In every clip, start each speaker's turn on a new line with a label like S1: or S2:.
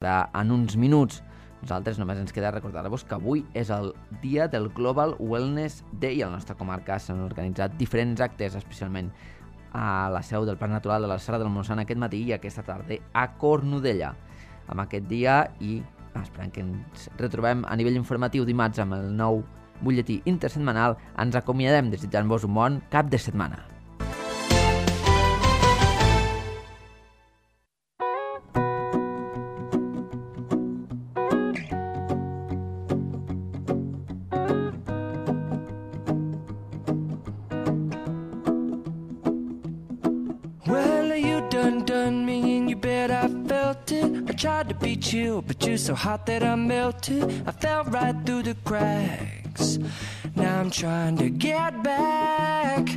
S1: En uns minuts. Nosaltres només ens queda recordar-vos que avui és el dia del Global Wellness Day. A la nostra comarca s'han organitzat diferents actes, especialment a la seu del Parc Natural de la Serra del Montsant aquest matí i aquesta tarda a Cornudella. Amb aquest dia i esperant que ens retrobem a nivell informatiu dimarts amb el nou butlletí intersetmanal, ens acomiadem desitjant-vos un bon cap de setmana.
S2: Tried to beat you, but you're so hot that I melted. I fell right through the cracks. Now I'm trying to get back.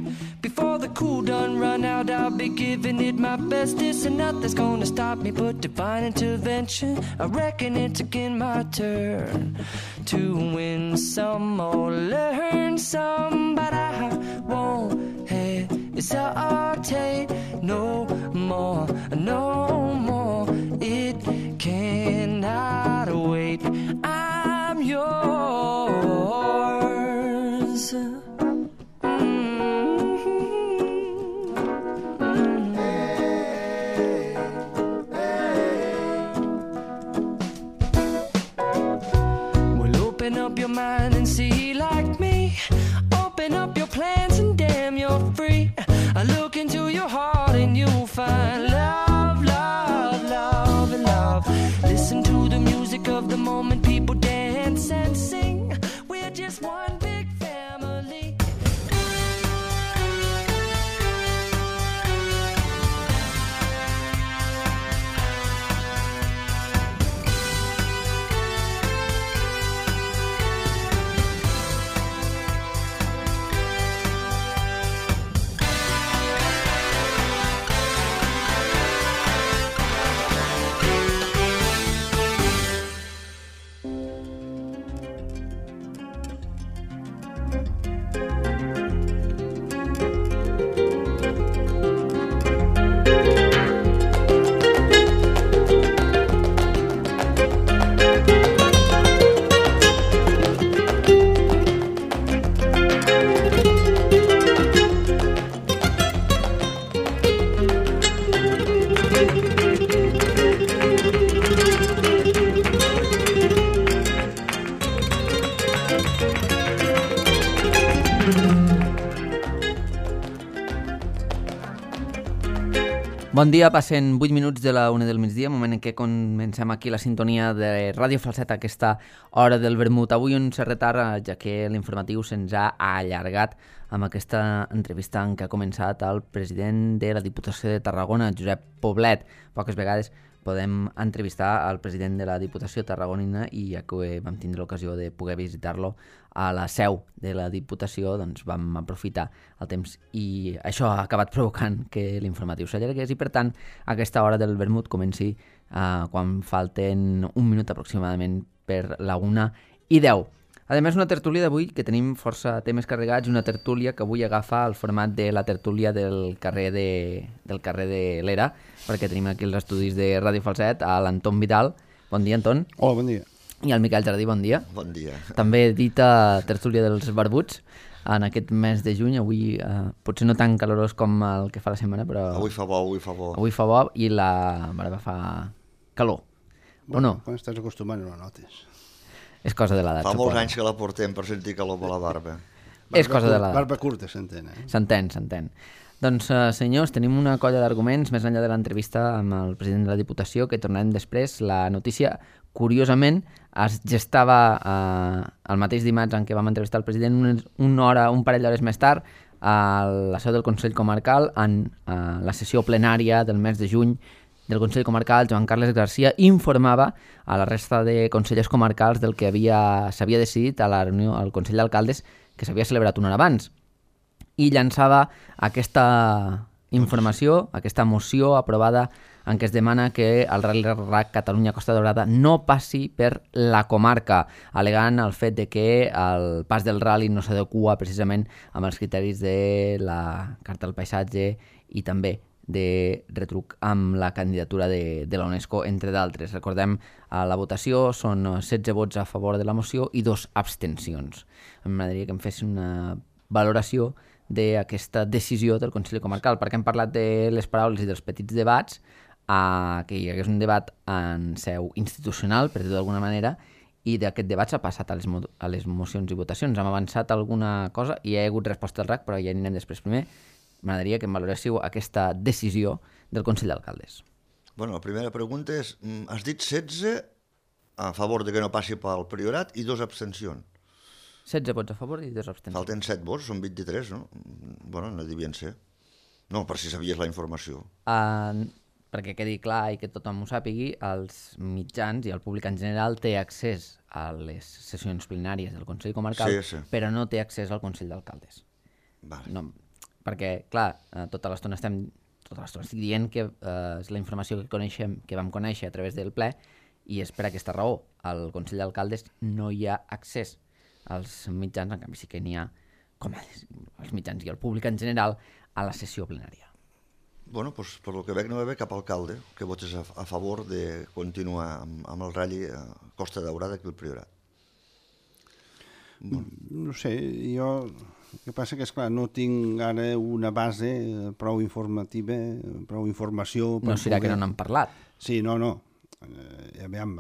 S2: Before the cool done run out, I'll be giving it my bestest, and nothing's gonna stop me but divine intervention. I reckon it's again my turn to win some or learn some, but I won't hesitate no more, no more. It cannot wait. I'm yours. Well, open up your mind and see like me. Open up your plans and damn, you're free. I look into your heart and you'll find love, love, love, and love. Listen to the music of the moment, people dance and sing. We're just one big family.
S1: Bon dia, passen 8 minuts de la 1 del migdia, moment en què comencem aquí la sintonia de Ràdio Falset a aquesta hora del vermut. Avui un cert retard, ja que l'informatiu se'ns ha allargat amb aquesta entrevista en què ha començat el president de la Diputació de Tarragona, Josep Poblet. Poques vegades podem entrevistar al president de la Diputació tarragonina i ja que vam tindre l'ocasió de poder visitar-lo a la seu de la Diputació, doncs vam aprofitar el temps i això ha acabat provocant que l'informatiu s'allargués i per tant aquesta hora del vermut comenci quan falten un minut aproximadament per la 1:10. A més, una tertúlia d'avui que tenim força temes carregats, una tertúlia que avui agafa el format de la tertúlia del carrer de l'Era, perquè tenim aquí els estudis de Ràdio Falset, a l'Anton Vidal. Bon dia, Anton.
S3: Hola, bon dia.
S1: I al Miquel Jardí, bon dia.
S4: Bon dia.
S1: També dita tertúlia dels barbuts en aquest mes de juny, avui potser no tan calorós com el que fa la setmana, però...
S4: Avui fa bo, avui fa bo.
S1: Avui fa bo i la barba fa calor.
S3: Bueno,
S1: o no?
S3: Quan estàs acostumat no la notes.
S1: És cosa de l'edat.
S4: Fa molts anys que la portem per sentir calor per la barba.
S1: És cosa de l'edat.
S3: Barba curta, s'entén,
S1: S'entén. Doncs, senyors, tenim una colla d'arguments més enllà de l'entrevista amb el president de la Diputació, que tornarem després. La notícia, curiosament, es gestava el mateix dimarts en què vam entrevistar el president un parell d'hores més tard a la seu del Consell Comarcal en la sessió plenària del mes de juny del Consell Comarcal. Joan Carles Garcia informava a la resta de consellers comarcals del que s'havia decidit a la reunió al Consell d'Alcaldes que s'havia celebrat una hora abans i llançava aquesta informació, aquesta moció aprovada en què es demana que el Rally RAC Catalunya Costa Daurada no passi per la comarca, al·legant el fet de que el pas del rally no s'adequa precisament amb els criteris de la Carta del Paisatge i també de retruc amb la candidatura de la UNESCO, entre d'altres. Recordem, a la votació són 16 vots a favor de la moció i 2 abstencions. M'agradaria que em fes una valoració d'aquesta decisió del Consell Comarcal, perquè hem parlat de les paraules i dels petits debats, que hi hagués un debat en seu institucional, per dir-ho d'alguna manera, i d'aquest debat s'ha passat a les mocions i votacions. Hem avançat alguna cosa i hi ha hagut resposta al RAC, però ja anirem després. Primer, m'agradaria que em valoréssiu aquesta decisió del Consell d'Alcaldes.
S4: Bueno, la primera pregunta és, has dit 16 a favor de que no passi pel Priorat i 2 abstencions.
S1: 16 vots a favor i 2 abstencions.
S4: Falten 7 vots, són 23, no? Bueno, no devien ser. No, per si sabies la informació.
S1: Perquè quedi clar i que tothom ho sàpigui, els mitjans i el públic en general té accés a les sessions plenàries del Consell Comarcal,
S4: Sí.
S1: però no té accés al Consell d'Alcaldes.
S4: Vale.
S1: No, perquè, clar, tota l'estona estic dient que és la informació que vam conèixer a través del ple, i és per aquesta raó. Al Consell d'Alcaldes no hi ha accés als mitjans, en canvi sí que n'hi ha, com els mitjans i el públic en general, a la sessió plenària.
S4: Bueno, doncs per lo que veig no va haver cap alcalde que votés a favor de continuar amb el ratll a Costa Daurada aquí al Priorat.
S3: Bueno. No sé, jo... El que passa que, esclar, no tinc ara una base prou informativa, prou informació...
S1: No serà que no n'han parlat.
S3: Sí, no. Aviam,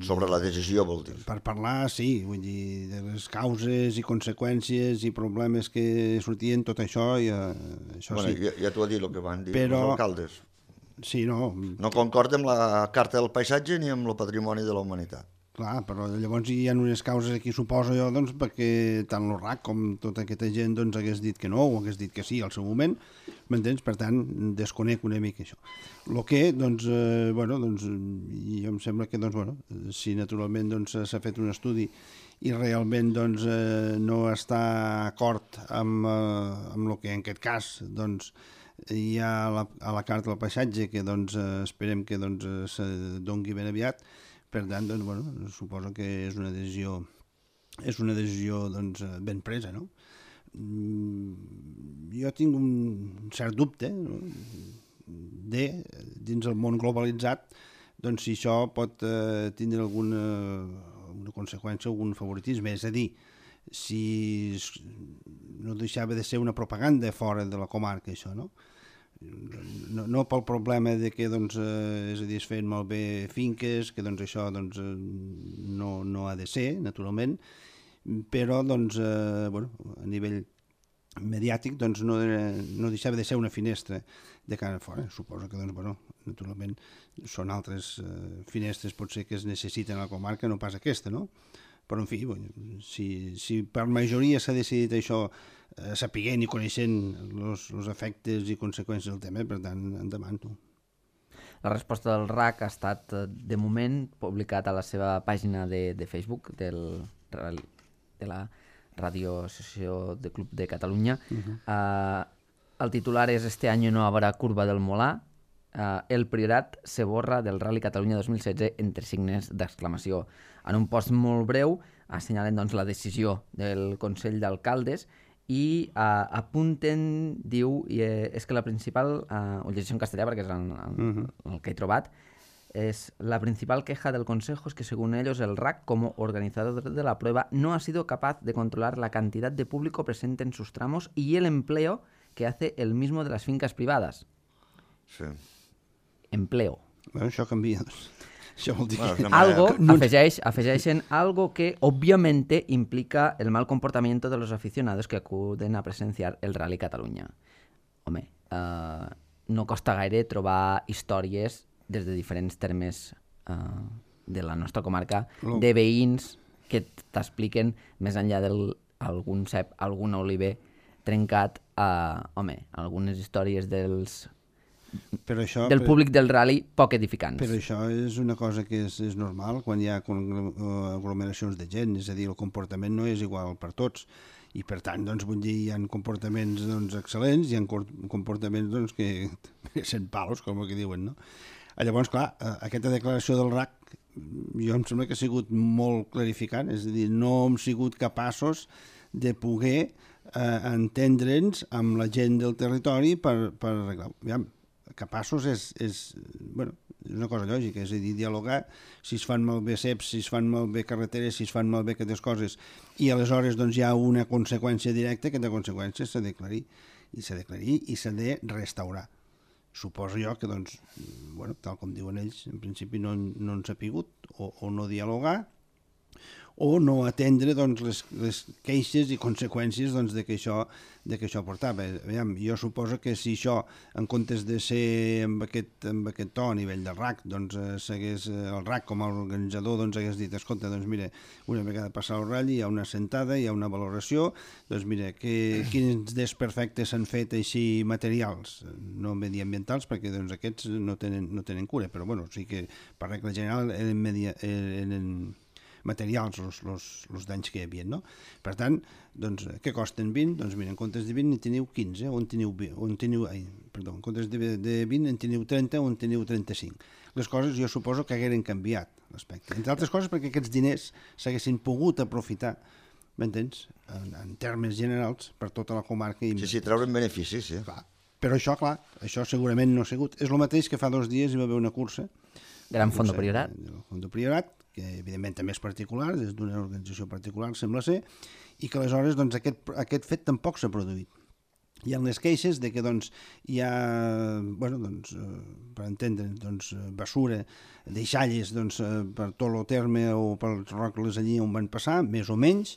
S4: Sobre la decisió, vol dir.
S3: Per parlar, sí, vull dir, de les causes i conseqüències i problemes que sortien, tot això, i això
S4: Bueno,
S3: sí.
S4: ja t'ho ha dit el que van dir
S3: Però...
S4: els alcaldes.
S3: Sí, no.
S4: No concorda amb la Carta del Paisatge ni amb el Patrimoni de la Humanitat.
S3: Clar, però llavors hi ha unes causes aquí, suposo jo, doncs, perquè tant el RAC com tota aquesta gent doncs, hagués dit que no o hagués dit que sí al seu moment, m'entens? Per tant, desconec una mica això. El que, doncs, jo em sembla que, si naturalment s'ha fet un estudi i realment no està d'acord amb el que en aquest cas hi ha a la Carta del Paisatge, que esperem que se doni ben aviat. Per tant, suposo que és una decisió ben presa, no? Jo tinc un cert dubte, no? Dins el món globalitzat, si això pot tindre alguna conseqüència, algun favoritisme. És a dir, si no deixava de ser una propaganda fora de la comarca, això, no? No pel problema de que és a dir, es feien malbé finques, que això no ha de ser, naturalment, però a nivell mediàtic no deixava de ser una finestra de cara a fora. Suposo que naturalment són altres finestres potser que es necessiten a la comarca, no pas aquesta, no? Però, en fi, si per majoria s'ha decidit això sapiguent i coneixent els efectes i conseqüències del tema, per tant, endavant.
S1: La resposta del RAC ha estat, de moment, publicat a la seva pàgina de Facebook de la Radio Associació de Club de Catalunya. El titular és «Este año no habrá curva del Molar. El Priorat se borra del Rally Catalunya 2016 entre signes d'exclamació». En un post molt breu assenyalen la decisió del Consell d'Alcaldes i apunten, diu, és que la principal, ho llegeixo en castellà perquè és el que he trobat, es la principal queja del Consejo es que según ellos el RAC como organizador de la prueba no ha sido capaz de controlar la cantidad de público presente en sus tramos y el empleo que hace el mismo de las fincas privadas.
S4: Sí.
S1: Empleo.
S3: Bueno, això canvia. Això vol dir que...
S1: Afegeixen algo que obviamente implica el mal comportamiento de los aficionados que acuden a presenciar el Rally Catalunya. Home, no costa gaire trobar històries des de diferents termes de la nostra comarca, de veïns que t'expliquen, més enllà d'algun cep, algun oliver trencat, algunes històries del públic del rally poc edificants.
S3: Però això és una cosa que és normal quan hi ha aglomeracions de gent, és a dir, el comportament no és igual per tots. I per tant, vull dir, hi ha comportaments excel·lents, hi ha comportaments que sent palos, com el que diuen, no? Llavors, clar, aquesta declaració del RAC jo em sembla que ha sigut molt clarificant, és a dir, no hem sigut capaços de poder entendre'ns amb la gent del territori per arreglar. capaços és una cosa lògica, és a dir, dialogar si es fan malbé ceps, si es fan malbé carreteres, si es fan malbé aquestes coses, i aleshores doncs, hi ha una conseqüència directa, que de conseqüència s'ha d'aclarir, i s'ha de restaurar. Suposo jo que, doncs, tal com diuen ells, en principi no han sapigut o no dialogar, o no atendre doncs, les queixes i conseqüències doncs, de que això portava. Aviam, jo suposo que si això, en comptes de ser amb aquest to a nivell del RAC, doncs el RAC com a organitzador doncs, hagués dit, escolta, doncs mira, una vegada passat el ratll hi ha una sentada, hi ha una valoració, doncs mira, quins desperfectes s'han fet així materials, no mediambientals, perquè doncs, aquests no tenen cura, però bueno, sí que per regla general eren materials, els danys que hi havia, no? Per tant, doncs, què costen 20? Doncs mira, en comptes de 20 en teniu 15, en comptes de 20 en teniu 30 o en teniu 35. Les coses jo suposo que hagueren canviat l'aspecte. Entre altres coses perquè aquests diners s'haguessin pogut aprofitar, m'entens? En termes generals, per tota la comarca.
S4: Sí, treure'n beneficis, sí.
S3: Clar. Però això segurament no ha sigut. És el mateix que fa 2 dies hi va haver una cursa.
S1: Gran Fondo Priorat.
S3: Fondo Priorat, que evidentment també és particular, és d'una organització particular, sembla ser, i que aleshores doncs, aquest fet tampoc s'ha produït. Hi ha les queixes de que doncs, hi ha, per entendre, doncs, basura, deixalles doncs, per tot el terme o pels rocles allí on van passar, més o menys,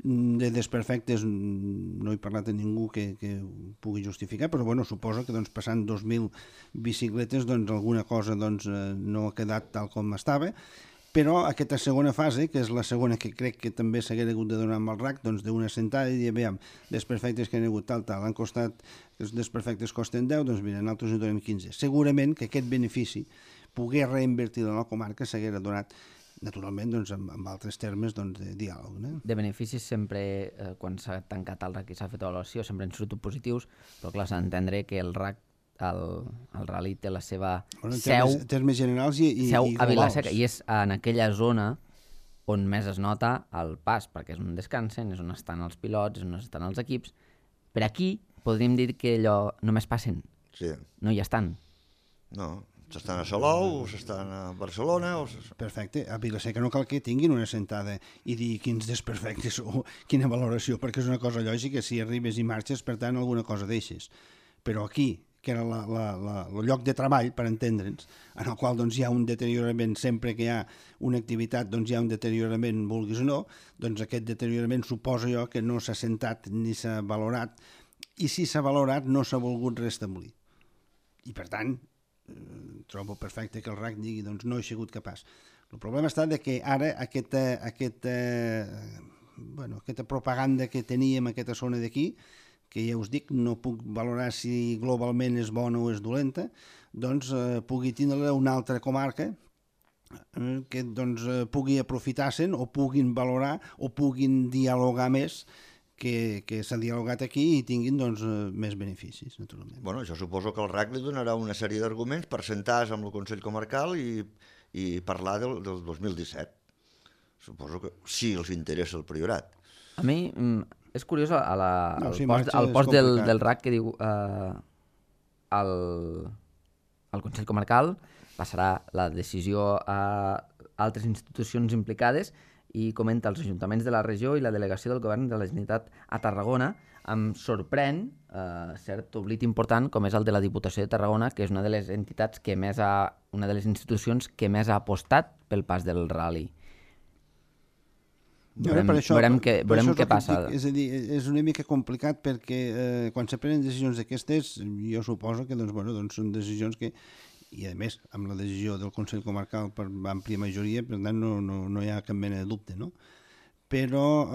S3: de desperfectes no he parlat a ningú que pugui justificar, però bueno, suposo que doncs, passant 2.000 bicicletes doncs, alguna cosa doncs, no ha quedat tal com estava. Però aquesta segona fase, que és la segona que crec que també s'haguera hagut de donar amb el RAC, doncs d'una sentada i dir, veiem, desperfectes que han hagut tal, han costat, que els desperfectes costen 10, doncs mira, nosaltres en donem 15. Segurament que aquest benefici, poder reinvertir en la comarca, s'haguera donat, naturalment, doncs, amb altres termes doncs, de diàleg. No?
S1: De beneficis sempre, quan s'ha tancat el RAC i s'ha fet avaluació, sempre han sortit positius, però clar, s'ha d'entendre que el RAC el rally té la seva seu
S3: generals
S1: seu
S3: i
S1: a Vila-seca, i és en aquella zona on més es nota el pas, perquè és on descansen, és on estan els pilots, és on estan els equips. Per aquí podríem dir que allò només passen,
S4: sí.
S1: No hi estan.
S4: No, s'estan a Salou, o s'estan a Barcelona...
S3: Perfecte, a Vila-seca no cal que tinguin una sentada i dir quins desperfectes o quina valoració, perquè és una cosa lògica, si arribes i marxes, per tant, alguna cosa deixes. Però aquí, que era el lloc de treball, per entendre'ns, en el qual doncs, hi ha un deteriorament, sempre que hi ha una activitat doncs, hi ha un deteriorament, vulguis o no, doncs aquest deteriorament suposo jo que no s'ha sentat ni s'ha valorat, i si s'ha valorat no s'ha volgut restablir. I per tant, trobo perfecte que el RAC digui doncs, no he sigut capaç. El problema està que ara aquesta propaganda que teníem a aquesta zona d'aquí, que ja us dic, no puc valorar si globalment és bona o és dolenta, doncs pugui tindre una altra comarca que doncs, pugui aprofitar-se'n o puguin valorar o puguin dialogar més que s'ha dialogat aquí i tinguin doncs, més beneficis, naturalment.
S4: Bueno, jo suposo que el RAC li donarà una sèrie d'arguments per sentar-se amb el Consell Comarcal i parlar del 2017. Suposo que sí els interessa el Priorat.
S1: A mi... És curiós el post del RAC que diu el Consell Comarcal passarà la decisió a altres institucions implicades i comenta els ajuntaments de la regió i la delegació del govern de la Generalitat a Tarragona. Em sorprèn cert oblit important com és el de la Diputació de Tarragona, que és una de les entitats que més una de les institucions que més ha apostat pel pas del rally. Veurem què passa.
S3: És a dir, és una mica complicat perquè quan se prenen decisions d'aquestes, jo suposo que doncs, són decisions que, i a més, amb la decisió del Consell Comarcal per àmplia majoria, per tant no hi ha cap mena de dubte, no? Però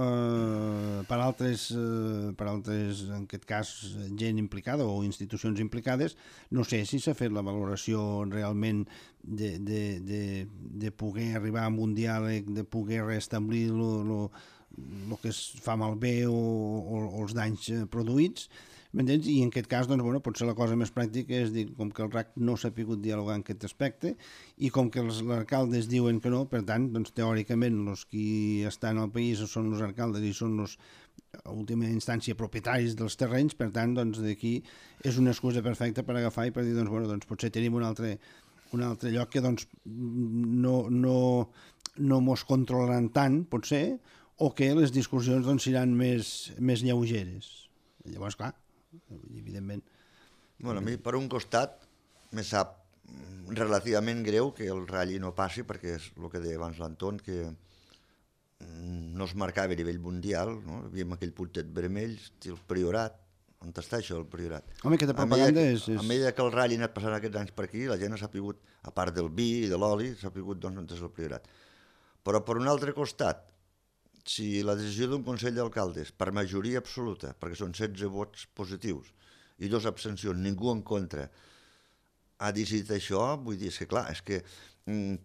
S3: per altres, en aquest cas, gent implicada o institucions implicades, no sé si s'ha fet la valoració realment de poder arribar a un diàleg, de poder restablir el que es fa malbé o els danys produïts, m'entens? I en aquest cas, doncs, potser la cosa més pràctica és dir, com que el RAC no s'ha pogut dialogar en aquest aspecte i com que els alcaldes diuen que no, per tant, doncs, teòricament, els qui estan al país són els alcaldes i són a última instància, propietaris dels terrenys, per tant, doncs, d'aquí és una excusa perfecta per agafar i per dir, doncs, bueno, doncs potser tenim un altre lloc que doncs, no mos controlaran tant, potser, o que les discussions doncs, seran més lleugeres. Llavors, clar, evidentment...
S4: Bueno, a mi, per un costat, me sap relativament greu que el Rally no passi, perquè és el que deia abans l'Anton, que no es marcava a nivell mundial, no? Havíem aquell puntet vermell, el Priorat. On està això, el Priorat?
S3: Home, aquesta propaganda és...
S4: A mesura que el Rally ha anat passant aquests anys per aquí, la gent ha sapigut, a part del vi i de l'oli, s'ha sapigut doncs, on és el Priorat. Però per un altre costat, si la decisió d'un Consell d'Alcaldes, per majoria absoluta, perquè són 16 vots positius i 2 abstencions, ningú en contra, ha decidit això, vull dir, és que clar, és que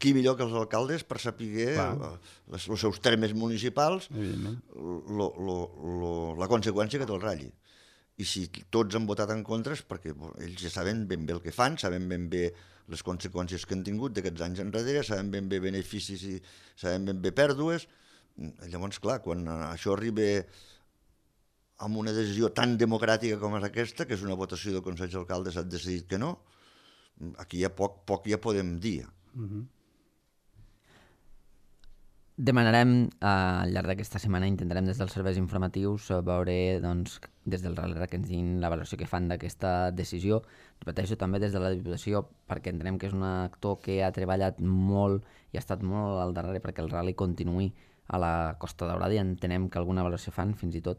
S4: qui millor que els alcaldes per saber els seus termes municipals la conseqüència que té el Rally. I si tots han votat en contra és perquè ells ja saben ben bé el que fan, saben ben bé les conseqüències que han tingut d'aquests anys enrere, saben ben bé beneficis i saben ben bé pèrdues. Llavors, clar, quan això arriba amb una decisió tan democràtica com és aquesta, que és una votació del Consell d'Alcaldes, ha decidit que no, aquí ja poc ja podem dir.
S1: Demanarem al llarg d'aquesta setmana, intentarem des dels serveis informatius veure doncs, des del RALRA que ens diguin la valoració que fan d'aquesta decisió. Repeteixo també des de la Diputació, perquè entenem que és un actor que ha treballat molt i ha estat molt al darrere perquè el rally continuï a la Costa Daurada, i entenem que alguna valoració fan. Fins i tot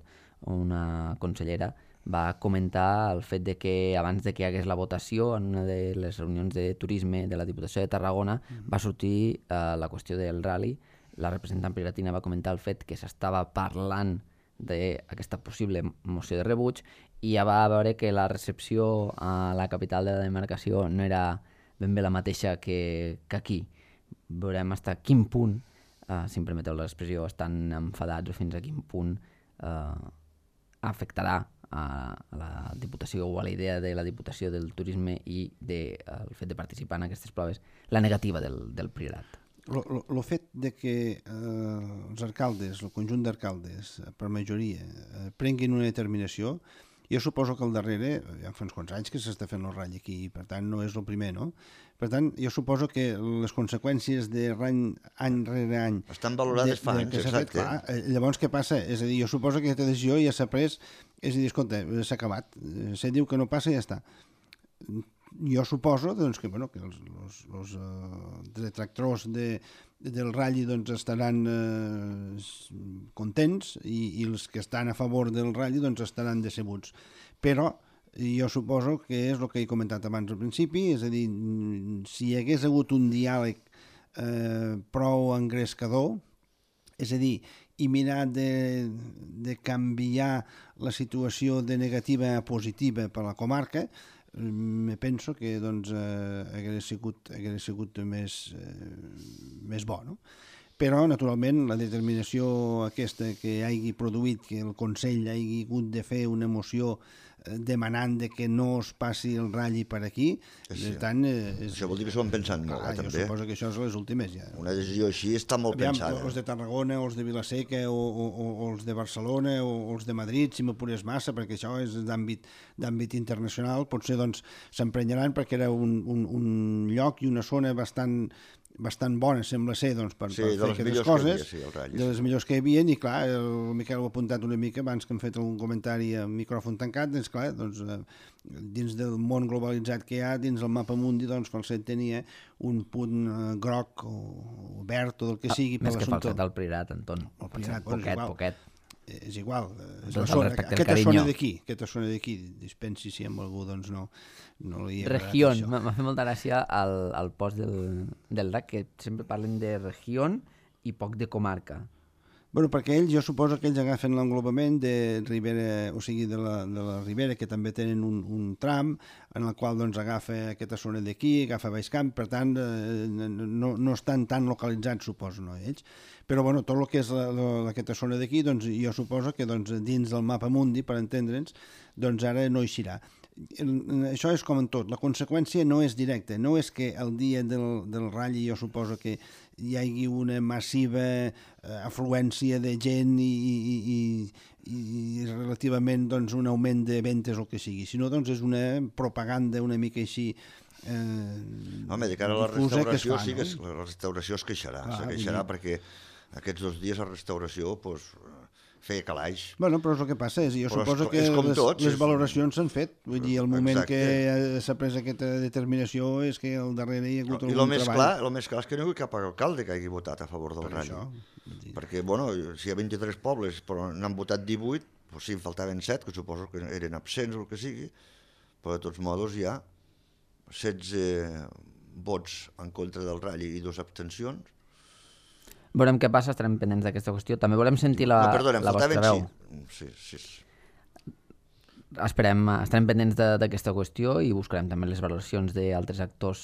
S1: una consellera va comentar el fet de que abans de que hi hagués la votació en una de les reunions de turisme de la Diputació de Tarragona va sortir la qüestió del rally. La representant prioratina va comentar el fet que s'estava parlant d'aquesta possible moció de rebuig, i ja va veure que la recepció a la capital de la demarcació no era ben bé la mateixa que aquí. Veurem fins a quin punt, si em permeteu l'expressió, estan enfadats o fins a quin punt afectarà a la Diputació o a la idea de la Diputació del turisme i del fet de participar en aquestes proves, la negativa del Priorat.
S3: El fet de que els alcaldes, el conjunt d'alcaldes, per majoria, prenguin una determinació, jo suposo que al darrere, ja fa uns quants anys que s'està fent el ratll aquí, per tant no és el primer, no? Per tant, jo suposo que les conseqüències any rere any...
S4: Estan valorades fa anys, exacte.
S3: Clar, llavors què passa? És a dir, jo suposo que aquesta decisió ja s'ha pres, és a dir, escolta, s'ha acabat, se diu que no passa i ja està. Jo suposo doncs, que els detractors del ratll doncs, estaran contents i els que estan a favor del ratll doncs, estaran decebuts. Però jo suposo que és el que he comentat abans al principi, és a dir, si hi hagués hagut un diàleg prou engrescador, és a dir, i mirar de canviar la situació de negativa a positiva per la comarca, me penso que doncs, hagués sigut més bo, no? Però, naturalment, la determinació aquesta que hagi produït que el Consell hagi hagut de fer una moció demanant de que no es passi el ratll per aquí, tant...
S4: Això vol dir que s'ho han pensat molt, també.
S3: Jo suposo que això és les últimes, ja.
S4: Una decisió així està molt pensada.
S3: Els de Tarragona, els de Vilaseca, o els de Barcelona, o els de Madrid, si m'apures massa, perquè això és d'àmbit internacional, potser doncs s'emprenyaran perquè era un lloc i una zona bastant bona, sembla ser, doncs, per fer aquestes coses, de les millors que hi havia, i clar, el Miquel ho ha apuntat una mica abans que hem fet algun comentari a micròfon tancat, doncs clar, dins del món globalitzat que hi ha, dins el mapa mundi, doncs Falset tenia un punt groc o verd o del que sigui per l'assumpte.
S1: Més que Falset al Priorat, Anton. Poquet.
S3: És igual, és la zona, aquesta zona d'aquí, dispensi si amb algú doncs no li ha agradat
S1: Regió,
S3: això.
S1: m'ha fet molta gràcia al post del RAC, que sempre parlen de regió i poc de comarca.
S3: Bueno, perquè jo suposo que ells agafen l'englobament de Ribera, o sigui, de la Ribera, que també tenen un tram en el qual doncs, agafa aquesta zona d'aquí, agafa Baixcamp, per tant no estan tan localitzats, suposo, no, ells. Però bueno, tot el que és aquesta zona d'aquí, doncs, jo suposo que doncs, dins del mapa mundi, per entendre'ns, doncs ara no eixirà. Això és com en tot, la conseqüència no és directa, no és que el dia del ratll jo suposo que hi hagi una massiva afluència de gent i i relativament doncs, un augment de ventes o el que sigui, sinó doncs, és una propaganda una mica així
S4: home, de cara a la restauració sí que la restauració es queixarà, perquè aquests 2 dies a restauració pues, feia calaix.
S3: Bueno, però és el que passa, jo suposo que les valoracions s'han fet, vull dir, el moment que s'ha pres aquesta determinació és que al darrere hi ha hagut algun treball.
S4: I el més clar és que no hi ha hagut cap alcalde que hagi votat a favor del Rally. Perquè, bueno, si hi ha 23 pobles, però n'han votat 18, doncs sí, en faltaven 7, que suposo que eren absents o el que sigui, però de tots modos hi ha 16 vots en contra del Rally i 2 abstencions.
S1: Veurem què passa, estarem pendents d'aquesta qüestió. També volem sentir la vostra veu.
S4: Sí.
S1: Estarem pendents d'aquesta qüestió i buscarem també les valoracions d'altres actors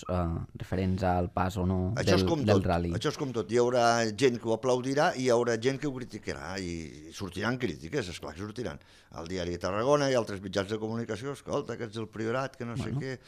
S1: referents al pas o no del Rally.
S4: Això és com tot. Hi haurà gent que ho aplaudirà i hi haurà gent que ho criticarà i sortiran crítiques, esclar que sortiran. Al Diari de Tarragona i altres mitjans de comunicació, escolta, que ets el Priorat, que no sé què...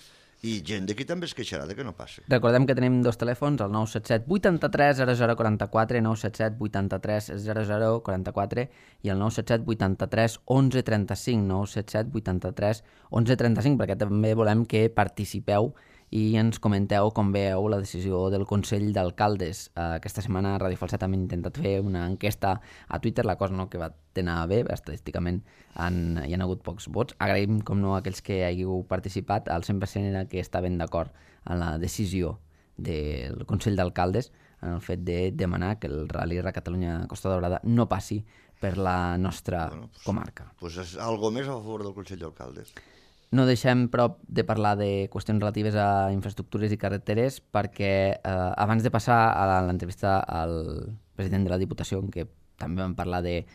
S4: I gent d'aquí també es queixarà de que no passi.
S1: Recordem que tenim 2 telèfons, el 977 83 0044, 977 83 0044 i el 977 83 11 35, 977 83 11 35, perquè també volem que participeu i ens comenteu com veieu la decisió del Consell d'Alcaldes. Aquesta setmana a Ràdio Falset hem intentat fer una enquesta a Twitter, la cosa no que va anar bé, estadísticament hi ha hagut pocs vots. Agraïm, com no, a aquells que hàgiu participat, al 100% era que estaven d'acord en la decisió del Consell d'Alcaldes en el fet de demanar que el Rally Catalunya Costa Daurada no passi per la nostra comarca.
S4: Doncs és algo més a favor del Consell d'Alcaldes.
S1: No deixem, però, de parlar de qüestions relatives a infraestructures i carreteres perquè abans de passar a l'entrevista al president de la Diputació, en què també vam parlar del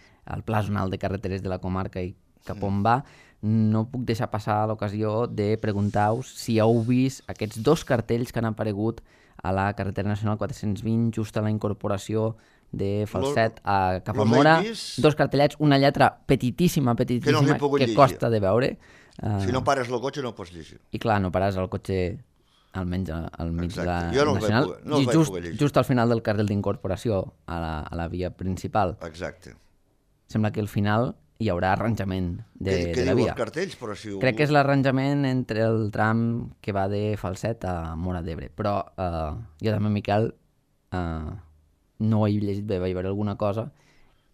S1: pla zonal de carreteres de la comarca i cap on va, no puc deixar passar l'ocasió de preguntar-vos si heu vist aquests 2 cartells que han aparegut a la carretera nacional 420 just a la incorporació de Falset cap a Móra. 2 cartellets, una lletra petitíssima que costa de veure.
S4: Si no pares el cotxe no pots llegir.
S1: I clar, no pares el cotxe almenys al mig de la nacional.
S4: I
S1: just al final del carril d'incorporació a la via principal.
S4: Exacte.
S1: Sembla que al final hi haurà arranjament de la via.
S4: Què diu els cartells?
S1: Crec que és l'arranjament entre el tram que va de Falset a Móra d'Ebre. Però jo també, Miquel, no ho he llegit bé, vaig veure alguna cosa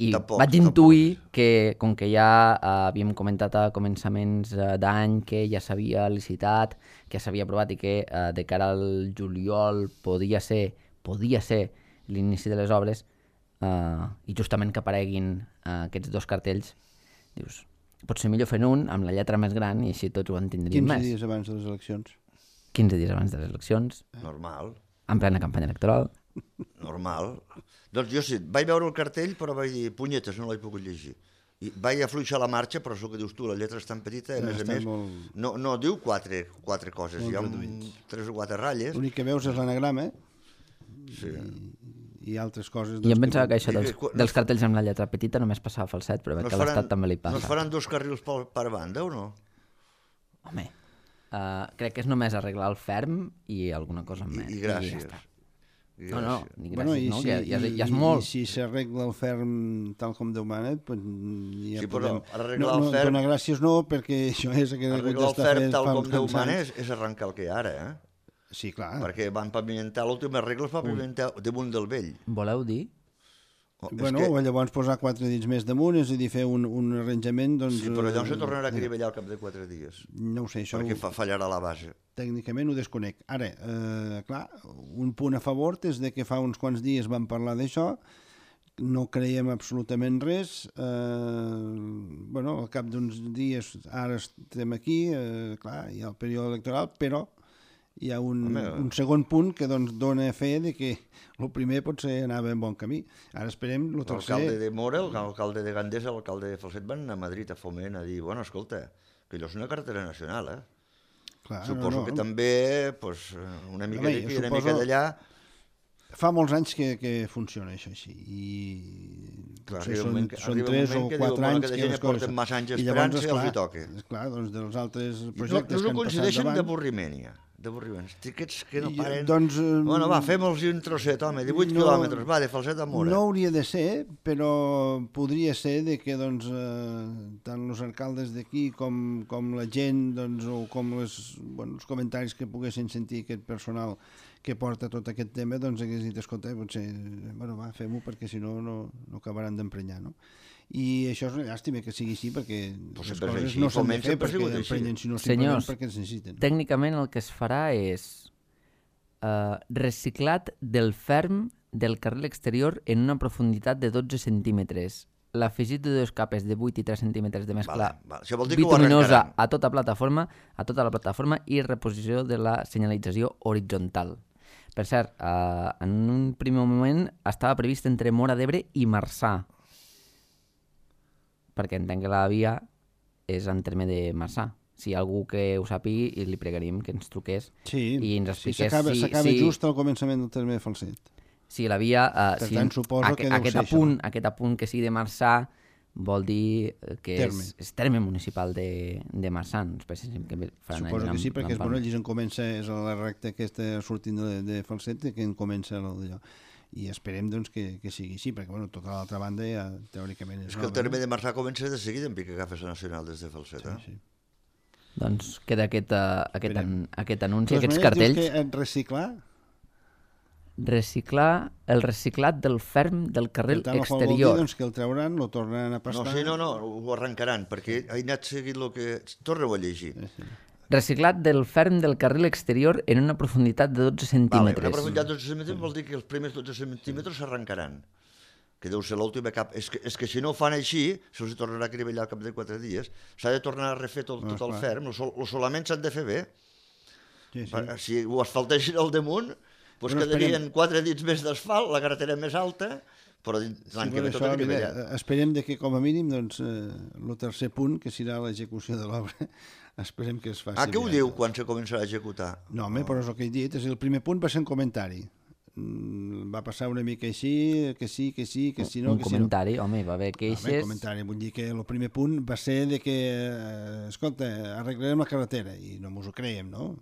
S1: i vaig intuir que, com que ja havíem comentat a començaments d'any que ja s'havia licitat, que ja s'havia aprovat i que de cara al juliol podia ser l'inici de les obres i justament que apareguin aquests 2 cartells, dius, potser millor fent un amb la lletra més gran i així tots ho entendríem més.
S3: 15 dies abans de les eleccions.
S1: 15 dies abans de les eleccions.
S4: Normal.
S1: En plena campanya electoral.
S4: Normal. Doncs jo sí, vaig veure el cartell però vaig dir, punyetes, no l'he pogut llegir. I vaig afluixar la marxa, però és el que dius tu, la lletra és tan petita, a més, no diu 4 coses, hi ha 3 o 4 ratlles.
S3: L'únic que veus és l'anagrama i altres coses.
S1: I em pensava que això dels cartells amb la lletra petita només passava a Falset, però veig que a l'Estat també li passa.
S4: No es faran 2 carrils per banda o no?
S1: Home, crec que és només arreglar el ferm i alguna cosa més.
S4: I gràcies.
S1: No, ni gràcies, no, que ja és molt.
S3: I si s'arregla el ferm tal com Déu mana, doncs ja podem...
S4: Arreglar el ferm...
S3: Donar gràcies no, perquè això és...
S4: Arreglar el ferm tal com Déu mana és arrencar el que hi ha ara,
S3: Sí, clar.
S4: Perquè van pavimentar, l'últim arreglo es va pavimentar damunt del vell.
S1: Voleu dir?
S3: Bueno, o llavors posar 4 dits més damunt, és a dir, fer un arranjament, doncs...
S4: Sí, però llavors se tornarà a crivellar al cap de 4 dies.
S3: No ho sé, això...
S4: Perquè fallarà la base.
S3: Tècnicament ho desconec. Ara, clar, un punt a favor és de que fa uns quants dies vam parlar d'això, no creiem absolutament res, bueno, al cap d'uns dies ara estem aquí, clar, hi ha el període electoral, però hi ha un segon punt que doncs, dona fe de que el primer potser anava en bon camí. Ara esperem el tercer...
S4: L'alcalde de Móra, l'alcalde de Gandesa, l'alcalde de Falset van anar a Madrid a Foment a dir, bueno, escolta, que allò és una carretera nacional,
S3: Clar,
S4: suposo que també una mica d'aquí i una mica d'allà...
S3: Fa molts anys que funciona això així i són 3 o 4 anys que les coses...
S4: Massa anys esperant si els hi toca.
S3: Esclar, doncs dels altres projectes
S4: no coincideixen d'avorriment, ja. d'avorriments. Tiquets que no paren...
S3: Doncs...
S4: Bueno, va, fem-los un trosset, home, 18 quilòmetres, va, de Falset a Mora.
S3: No hauria de ser, però podria ser de que doncs, tant els alcaldes d'aquí com la gent doncs, o com els comentaris que poguessin sentir aquest personal que porta tot aquest tema, doncs hagués dit, escolta, potser, bueno, va, fem-ho perquè si no, no acabaran d'emprenyar, no? I això és una llàstima que sigui així perquè les coses no s'han de fer perquè emprenyen, sinó simplement perquè es necessiten.
S1: Tècnicament el que es farà és reciclat del ferm del carril exterior en una profunditat de 12 centímetres. L'afegit de 2 capes de 8 i 3 centímetres de mescla bituminosa a tota la plataforma i reposició de la senyalització horitzontal. Per cert, en un primer moment estava previst entre Móra d'Ebre i Marçà, perquè entenc que la via és en terme de Marçà. Si hi ha algú que ho sàpigui, li pregaríem que ens truqués i ens expliqués
S3: s'acaba just al començament del terme de Falset.
S1: Si la via...
S3: Per tant, suposo que deu ser això.
S1: Aquest apunt que sigui de Marçà vol dir que és terme municipal de Marçà.
S3: Suposo que sí, perquè allí on comença, és la recta aquesta sortint de Falset, que en comença d'allò. I esperem doncs, que sigui així, perquè tota l'altra banda ja teòricament és
S4: que el terme de Marçà comença de seguida en pic que agafes nacional des de Falset.
S3: Sí.
S1: Doncs queda aquest anunci, aquests
S3: Dius
S1: cartells.
S3: que reciclar
S1: el reciclat del ferm del carril exterior.
S3: Vol dir doncs, que el trauran, lo tornaran a pastar...
S4: No, ho arrencaran, perquè he anat seguint el que... Torna-ho a llegir.
S3: Sí.
S1: Reciclat del ferm del carril exterior en una profunditat de 12 centímetres.
S4: Vale, una profunditat de 12 centímetres vol dir que els primers 12 centímetres s'arrencaran, que deu ser l'última cap. És que si no ho fan així, se'ls tornarà a crivellar al cap de 4 dies. S'ha de tornar a refer tot el ferm, els solaments s'han de fer bé.
S3: Sí.
S4: Si ho asfalteixin al damunt, doncs quedarien 4 dits més d'asfalt, la carretera més alta, però l'any que ve tot crivellat.
S3: Esperem que com a mínim el tercer punt, que serà l'execució de l'obra, esperem que es faci.
S4: Què ho diu quan se començarà a executar?
S3: No, però és el que he dit. El primer punt va ser un comentari. Va passar una mica així, que sí, no.
S1: Un comentari, home, va haver queixes.
S3: Un comentari, vull dir que el primer punt va ser de que, escolta, arreglarem la carretera, i no mos ho creiem, no?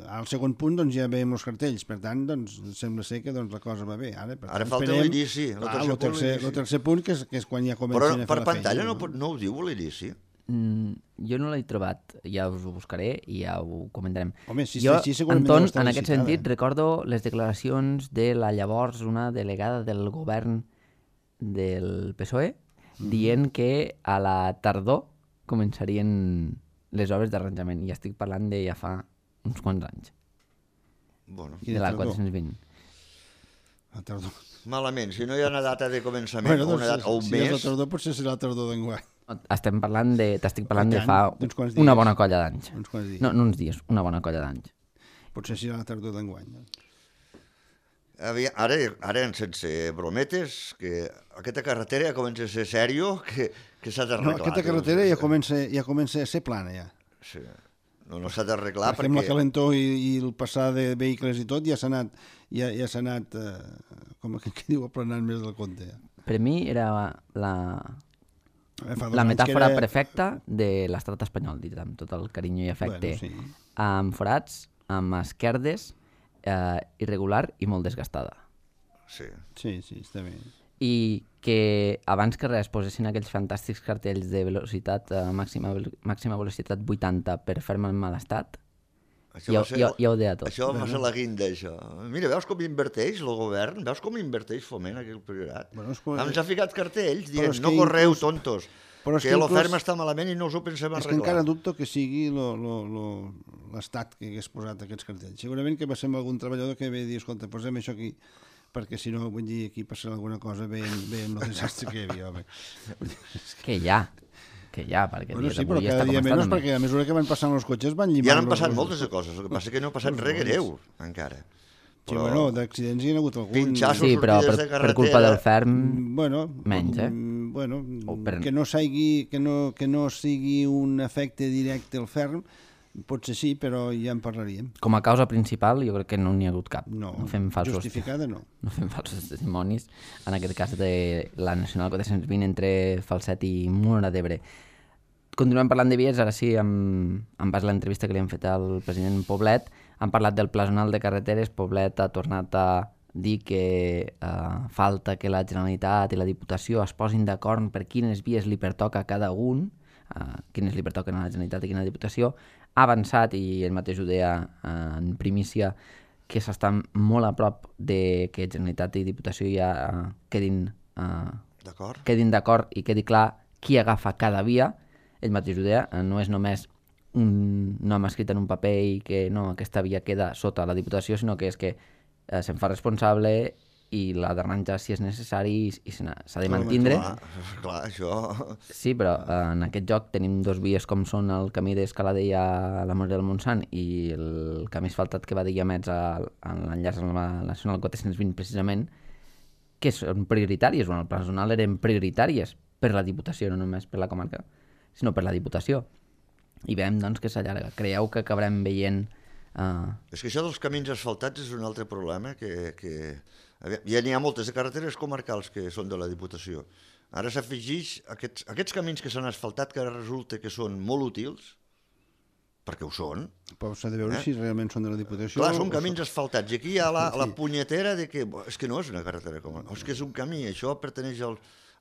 S3: Al segon punt doncs, ja veiem els cartells, per tant doncs, sembla ser que doncs, la cosa va bé.
S4: Ara falta l'inici.
S3: El tercer punt, que és quan ja comencen a fer la feina.
S4: Però per pantalla no ho diu l'inici?
S1: Jo no l'he trobat, ja us ho buscaré i ja ho comentarem.
S3: Home, si
S1: jo,
S3: Anton,
S1: en aquest sentit, recordo les declaracions de la llavors una delegada del govern del PSOE dient que a la tardor començarien les obres d'arranjament, i estic parlant de ja fa uns quants anys. De la 420.
S3: La tardor.
S4: Malament, si no hi ha una data de començament o una data o un mes...
S3: Si és la tardor, potser serà la tardor d'enguany.
S1: T'estic parlant de fa una bona colla d'anys. No uns dies, una bona colla d'anys.
S3: Potser serà la tardor d'enguany.
S4: Ara, sense brometes, que aquesta carretera ja comença a ser sèrio, que s'ha d'arreglar.
S3: No, aquesta carretera ja comença a ser plana, ja.
S4: Sí. No s'ha d'arreglar perquè...
S3: Amb la calentor i el passar de vehicles i tot ja s'ha anat, com que diu, aplanant més del compte.
S1: Per mi era la metàfora perfecta de l'estat espanyol, dit amb tot el carinyo i afecte.
S3: Bueno, sí.
S1: Amb forats, amb esquerdes, irregular i molt desgastada.
S4: Sí,
S3: està bé.
S1: I que abans que res posessin aquells fantàstics cartells de velocitat, màxima velocitat 80 per fer-me en mal estat, ja ho deia tot.
S4: Això va ser la guinda, això. Mira, veus com inverteix el govern? Veus com inverteix Foment aquí al Priorat? Ens ha ficat cartells dient, no correu, tontos, que l'oferma està malament i no us ho pensem arreglar.
S3: És que encara dubto que sigui l'estat que hagués posat aquests cartells. Segurament que va ser algun treballador que ve a dir, escolta, posem això aquí, perquè si no, vull dir, aquí passarà alguna cosa bé el desastre que hi havia, home.
S1: Que ja, perquè
S3: bueno, sí, però cada dia menys, perquè a mesura que van passant els cotxes van llimant...
S4: Ja han passat moltes de coses, el que passa que no ha passat res greu, encara.
S3: Sí, bueno, d'accidents hi ha hagut algun...
S4: Pinxassos,
S1: sí, però per culpa del ferm, menys,
S3: Bueno, que no sigui un efecte directe al ferm, potser sí, però ja en parlaríem.
S1: Com a causa principal, jo crec que no n'hi ha hagut cap.
S3: No justificada no.
S1: No fem falsos testimonis, en aquest cas de la Nacional 420 entre Falset i Móra d'Ebre. Continuem parlant de vies, ara sí, en base a l'entrevista que li han fet al president Poblet, Han parlat del Pla Zonal de Carreteres. Poblet ha tornat a dir que falta que la Generalitat i la Diputació es posin d'acord per quines vies li pertoca a cada un, quines li pertoquen a la Generalitat i quina Diputació. Ha avançat, i ell mateix ho deia en primícia, que s'estan molt a prop de que Generalitat i Diputació ja quedin d'acord i quedi clar qui agafa cada via. Ell mateix ho deia, no és només un nom escrit en un paper i que no, aquesta via queda sota la Diputació, sinó que és que se'n fa responsable i la d'arranjar si és necessari i s'ha de mantindre.
S4: Clar, això...
S1: Sí, però en aquest joc tenim dos vies com són el camí d'Escaladell a la Morera del Montsant i el camí asfaltat que va de Guiamets a l'enllaç amb la Nacional 420 precisament, que són prioritàries, el Pla Zonal eren prioritàries per la Diputació, no només per la comarca, sinó per la Diputació. I veiem doncs que s'allarga. Creieu que acabarem veient...
S4: És que això dels camins asfaltats és un altre problema que... Ja n'hi ha moltes de carreteres comarcals que són de la Diputació. Ara s'afegeix aquests camins que s'han asfaltat, que ara resulta que són molt útils, perquè ho són.
S3: Però s'ha de veure si realment són de la Diputació.
S4: Clar, són camins asfaltats. I aquí hi ha la punyetera de que és que no és una carretera comarcal, és que és un camí, això pertaneix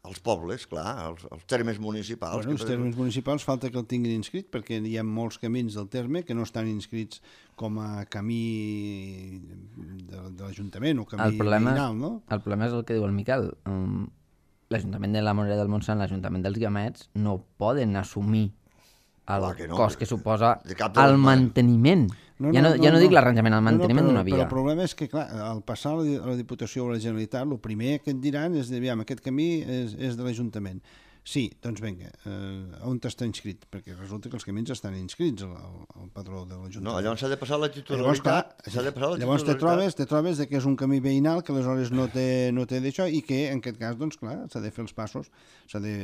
S4: als pobles, clar, als termes municipals.
S3: Bueno, els termes municipals falta que el tinguin inscrit, perquè hi ha molts camins del terme que no estan inscrits com a camí de l'Ajuntament o camí veïnal, no?
S1: El problema és el que diu el Miquel. L'Ajuntament de la Morera del Montsant, l'Ajuntament dels Guiamets, no poden assumir el cost que suposa el manteniment. Ja no dic l'arranjament, el manteniment d'una via.
S3: Però el problema és que, clar, al passar a la Diputació o a la Generalitat, el primer que et diran és de, aquest camí és de l'Ajuntament. Sí, doncs vinga, on està inscrit? Perquè resulta que els camins estan inscrits al padró de l'Ajuntament.
S4: No, llavors s'ha de passar la titularitat.
S3: Llavors te trobes que és un camí veïnal que aleshores no té d'això i que en aquest cas, doncs clar, s'ha de fer els passos, s'ha de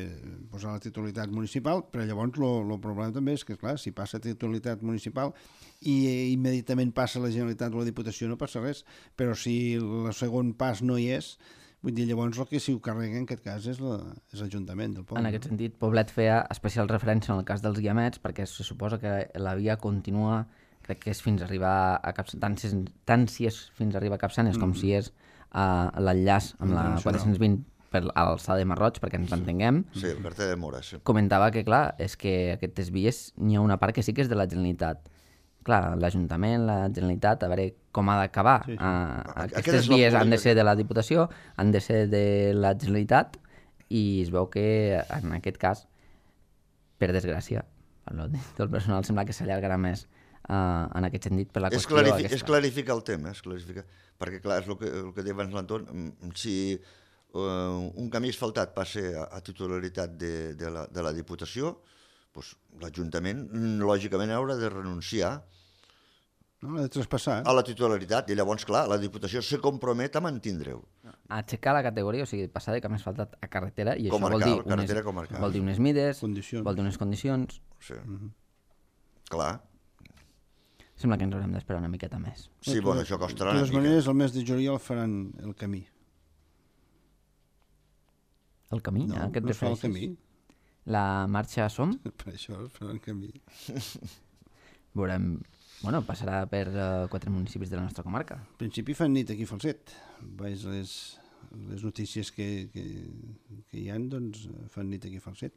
S3: posar la titularitat municipal, però llavors el problema també és que, clar, si passa titularitat municipal i immediatament passa la Generalitat o la Diputació no passa res, però si el segon pas no hi és, vull dir, llavors el que s'hi ho carrega en aquest cas és l'Ajuntament del poble.
S1: En aquest sentit, Poblet feia especial referència en el cas dels Guiamets perquè se suposa que la via continua, crec que és fins a arribar a Capçanes, tant si és fins a arribar a Capçanes com si és l'enllaç amb la 420 per l'alçada de Marroig, perquè ens entenguem.
S4: Sí, el carter de Mora, sí.
S1: Comentava que, clar, és que aquestes vies n'hi ha una part que sí que és de la Generalitat. Clar, l'Ajuntament, la Generalitat, a veure com ha d'acabar. Sí. Aquestes vies han de ser de la Diputació, han de ser de la Generalitat, i es veu que en aquest cas, per desgràcia, del personal sembla que s'allargarà més en aquest sentit per la qüestió aquesta.
S4: És clarificar el tema, perquè clar, és el que deia abans l'Anton, si un camí asfaltat passa a titularitat de la Diputació, doncs l'Ajuntament lògicament haurà de renunciar
S3: ha de traspassar
S4: a la titularitat, i llavors, clar, la Diputació se compromet a mantindre-ho.
S1: A aixecar la categoria, o sigui, passar de camí asfaltat a carretera, i
S4: comarcal,
S1: això vol dir unes mides, vol dir unes condicions.
S4: Sí, clar.
S1: Sembla que ens haurem d'esperar una miqueta més.
S4: Sí, bueno, això costarà una mica.
S3: De totes maneres, el mes de juliol faran el camí.
S1: El camí?
S3: No, no es fa el camí.
S1: La marxa Som?
S3: Per això es farà el camí.
S1: Veurem... Bueno, passarà per 4 municipis de la nostra comarca.
S3: En principi fan nit aquí a Falset. Veig les notícies que hi ha, doncs fan nit aquí a Falset.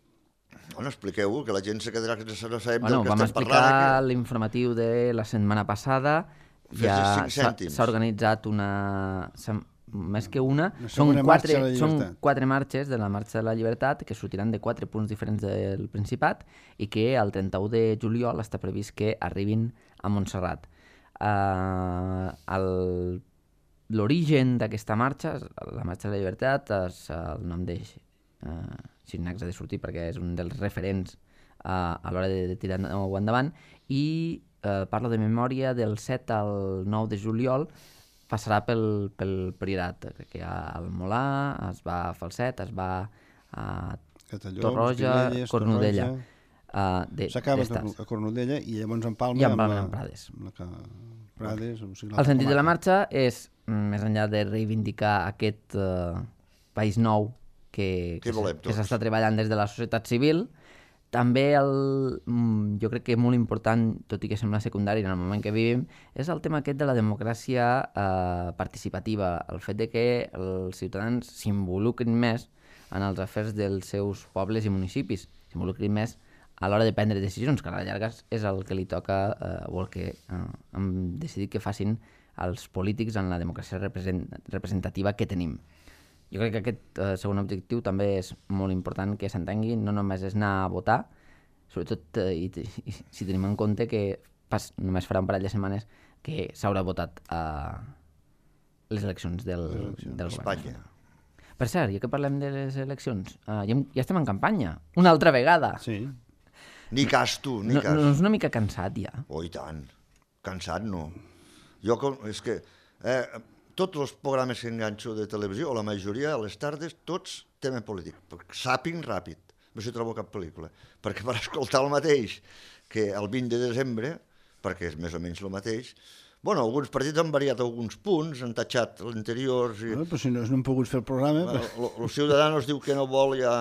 S4: Bueno, expliqueu-ho, que la gent se quedarà que no sabem del que estem parlant.
S1: Vam explicar l'informatiu de la setmana passada. Ja s'ha organitzat una... Més que una, són 4 marxes de la Marxa de la Llibertat que sortiran de 4 punts diferents del Principat i que el 31 de juliol està previst que arribin a Montserrat. L'origen d'aquesta marxa, la Marxa de la Llibertat, és el nom de Xirinacs ha de sortir perquè és un dels referents a l'hora de tirar-ho endavant, i parla de memòria del 7 al 9 de juliol. Passarà pel Priorat, que hi ha el Molà, es va a Falset, es va a Torroja, Cornudella.
S3: S'acaba a Cornudella i llavors en Palma
S1: amb Prades. El sentit de la marxa és, més enllà de reivindicar aquest país nou que s'està treballant des de la societat civil, també jo crec que molt important, tot i que sembla secundari en el moment que vivim, és el tema aquest de la democràcia participativa, el fet de que els ciutadans s'involucrin més en els afers dels seus pobles i municipis, s'involucrin més a l'hora de prendre decisions, que a la llarga és el que li toca o el que hem decidit que facin els polítics en la democràcia representativa que tenim. Jo crec que aquest segon objectiu també és molt important que s'entengui, no només és anar a votar, sobretot i si tenim en compte que només farà un parell de setmanes que s'haurà votat a les eleccions del govern.
S4: Espanya.
S1: Per cert, ja que parlem de les eleccions, ja estem en campanya, una altra vegada.
S3: Sí.
S4: Ni cas, tu, ni cas.
S1: No és una mica cansat, ja?
S4: Oh, i tant. Cansat, no. És que tots els programes que enganxo de televisió, o la majoria, a les tardes, tots tema polític. Sàping ràpid. No s'hi trobo cap pel·lícula. Perquè per escoltar el mateix que el 20 de desembre, perquè és més o menys el mateix, bueno, alguns partits han variat alguns punts, han tatxat l'anterior...
S3: Bueno, però si no han pogut fer el programa...
S4: El Ciudadanos diu que no vol ja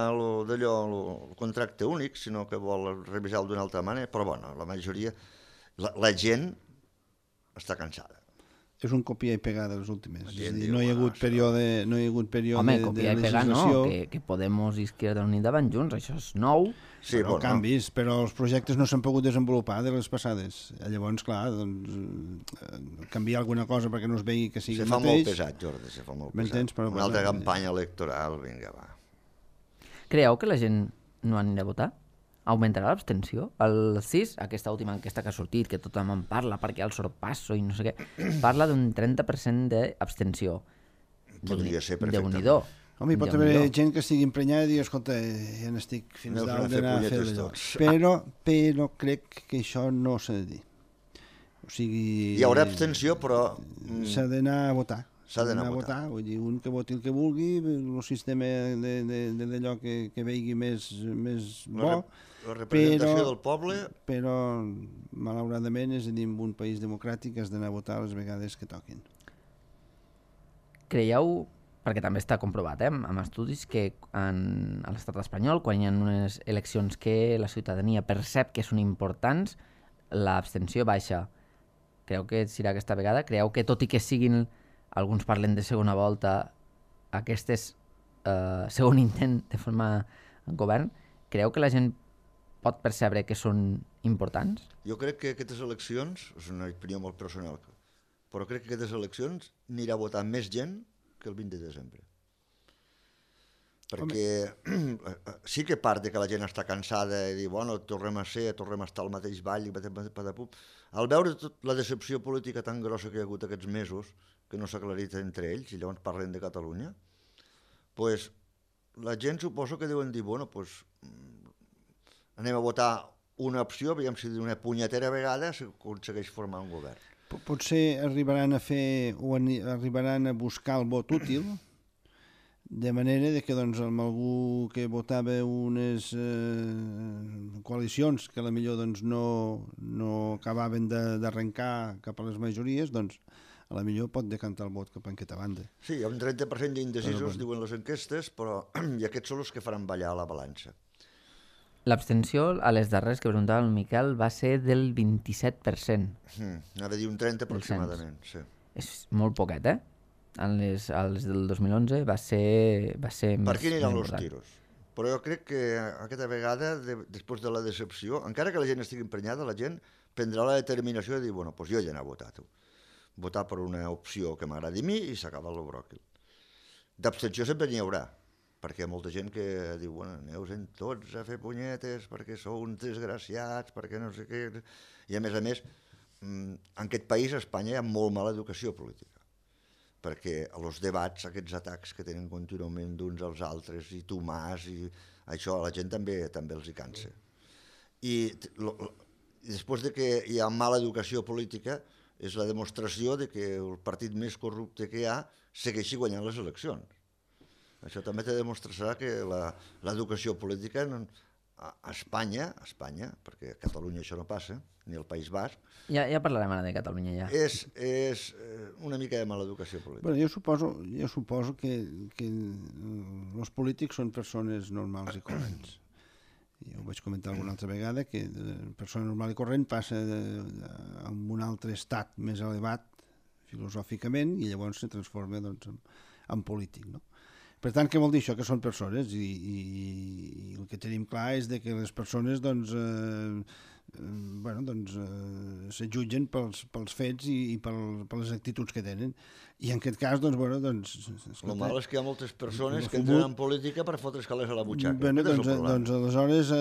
S4: d'allò, el contracte únic, sinó que vol revisar-lo d'una altra manera, però bueno, la majoria... La gent està cansada.
S3: És un copiar i pegar de les últimes. És a dir,
S4: diu,
S3: no hi ha hagut període
S1: Home, copiar i pegar no, que Podemos i Izquierda Unida van junts, això és nou.
S4: Sí,
S3: bueno, canvis, però els projectes no s'han pogut desenvolupar de les passades. Llavors, clar, doncs, canviar alguna cosa perquè no es vegi que sigui el mateix...
S4: Se fa molt pesat, Jordi, se fa molt pesat.
S3: Però,
S4: una altra campanya electoral, vinga, va.
S1: Creieu que la gent no anirà a votar? Augmentarà l'abstenció? El CIS, aquesta última enquesta que ha sortit, que tothom en parla perquè el sorpasso i no sé què, parla d'un 30% d'abstenció.
S4: Podria ser perfectament.
S1: Déu-n'hi-do.
S3: Home, hi pot haver gent que estigui emprenyada i dir, escolta, ja n'estic fins dalt d'anar a fer allò. Però crec que això no s'ha de dir. O sigui...
S4: Hi haurà abstenció, però...
S3: S'ha d'anar a votar.
S4: S'ha d'anar a votar.
S3: Vull dir, un que voti el que vulgui, el sistema d'allò que vegi més bo...
S4: La representació del poble...
S3: Però, malauradament, és a dir, en un país democràtic has d'anar a votar les vegades que toquin.
S1: Creieu, perquè també està comprovat, amb estudis, que a l'estat espanyol, quan hi ha unes eleccions que la ciutadania percep que són importants, l'abstenció baixa. Creu que serà aquesta vegada? Creieu que tot i que siguin, alguns parlen de segona volta, aquestes segon intent de formar govern, creu que la gent pot percebre que són importants?
S4: Jo crec que aquestes eleccions, és una opinió molt personal, però crec que aquestes eleccions anirà a votar més gent que el 20 de desembre. Perquè sí que part de que la gent està cansada i dir, bueno, tornem a estar al mateix ball i patapum. Al veure la decepció política tan grossa que hi ha hagut aquests mesos, que no s'ha aclarit entre ells, i llavors parlen de Catalunya, pues, la gent suposo que deuen dir, bueno, pues, anem a votar una opció, veiem si d'una punyetera vegada s'aconsegueix formar un govern.
S3: Potser arribaran a fer o arribaran a buscar el vot útil, de manera que doncs, amb algú que votava unes coalicions que potser doncs, no acabaven d'arrencar cap a les majories, doncs potser pot decantar el vot cap a aquesta banda.
S4: Sí, hi ha un 30% d'indecisos, diuen les enquestes, però i aquests són els que faran ballar la balança.
S1: L'abstenció, a les darreres que preguntava el Miquel, va ser del 27%.
S4: Anava a dir un 30 aproximadament, sí.
S1: És molt poquet, eh? A les del 2011 va ser més...
S4: Per aquí aniran els tiros. Però jo crec que aquesta vegada, després de la decepció, encara que la gent estigui emprenyada, la gent prendrà la determinació de dir, bueno, doncs jo ja n'he votat. Votar per una opció que m'agradi a mi i s'acaba el bròquil. D'abstenció sempre n'hi haurà, perquè hi ha molta gent que diu, bueno, aneu-se'n tots a fer punyetes perquè sou uns desgraciats, perquè no sé què... I a més, en aquest país, a Espanya, hi ha molt mala educació política, perquè els debats, aquests atacs que tenen contínuament d'uns als altres, i tu mas, i això a la gent també els hi cansa. I després de que hi ha mala educació política, és la demostració de que el partit més corrupte que hi ha segueixi guanyant les eleccions. Això també te demostrarà que l'educació política a Espanya, perquè a Catalunya això no passa, ni al País Basc...
S1: Ja parlarem ara de Catalunya, ja.
S4: És una mica de mala educació política.
S3: Bueno, jo suposo que els polítics són persones normals i corrents. Ja ho vaig comentar alguna altra vegada, que de persona normal i corrent passa a un altre estat més elevat filosòficament i llavors se transforma doncs, en polític, no? Per tant, què vol dir això? Que són persones i el que tenim clar és de que les persones doncs, se jutgen pels fets i per les actituds que tenen. I en aquest cas, doncs...
S4: El mal és que hi ha moltes persones que entren en política per fotre's calés a la butxaca.
S3: Doncs aleshores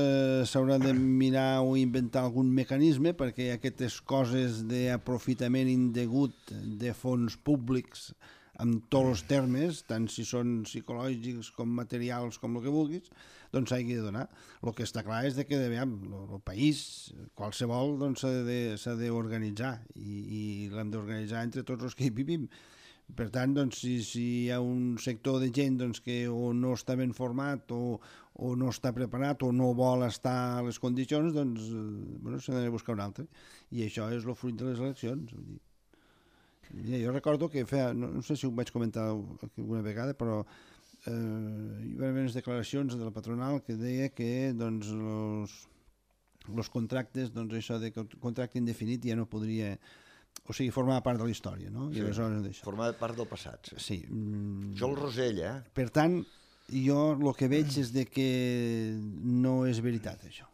S3: s'haurà de mirar o inventar algun mecanisme perquè aquestes coses d'aprofitament indegut de fons públics amb tots els termes, tant si són psicològics com materials, com el que vulguis, doncs s'hagi de donar. El que està clar és que el país, qualsevol, s'ha d'organitzar i l'hem d'organitzar entre tots els que hi vivim. Per tant, doncs, si hi ha un sector de gent que o no està ben format o no està preparat o no vol estar a les condicions, doncs s'ha de buscar un altre. I això és el fruit de les eleccions. Jo recordo que no sé si ho vaig comentar alguna vegada, però hi va haver unes declaracions de la patronal que deia que els contractes, això de contracte indefinit ja no podria, o sigui, formava part de la història, no?
S4: Sí, formava part del passat.
S3: Sí.
S4: Jo el Rosell,
S3: Per tant, jo el que veig és de que no és veritat, això.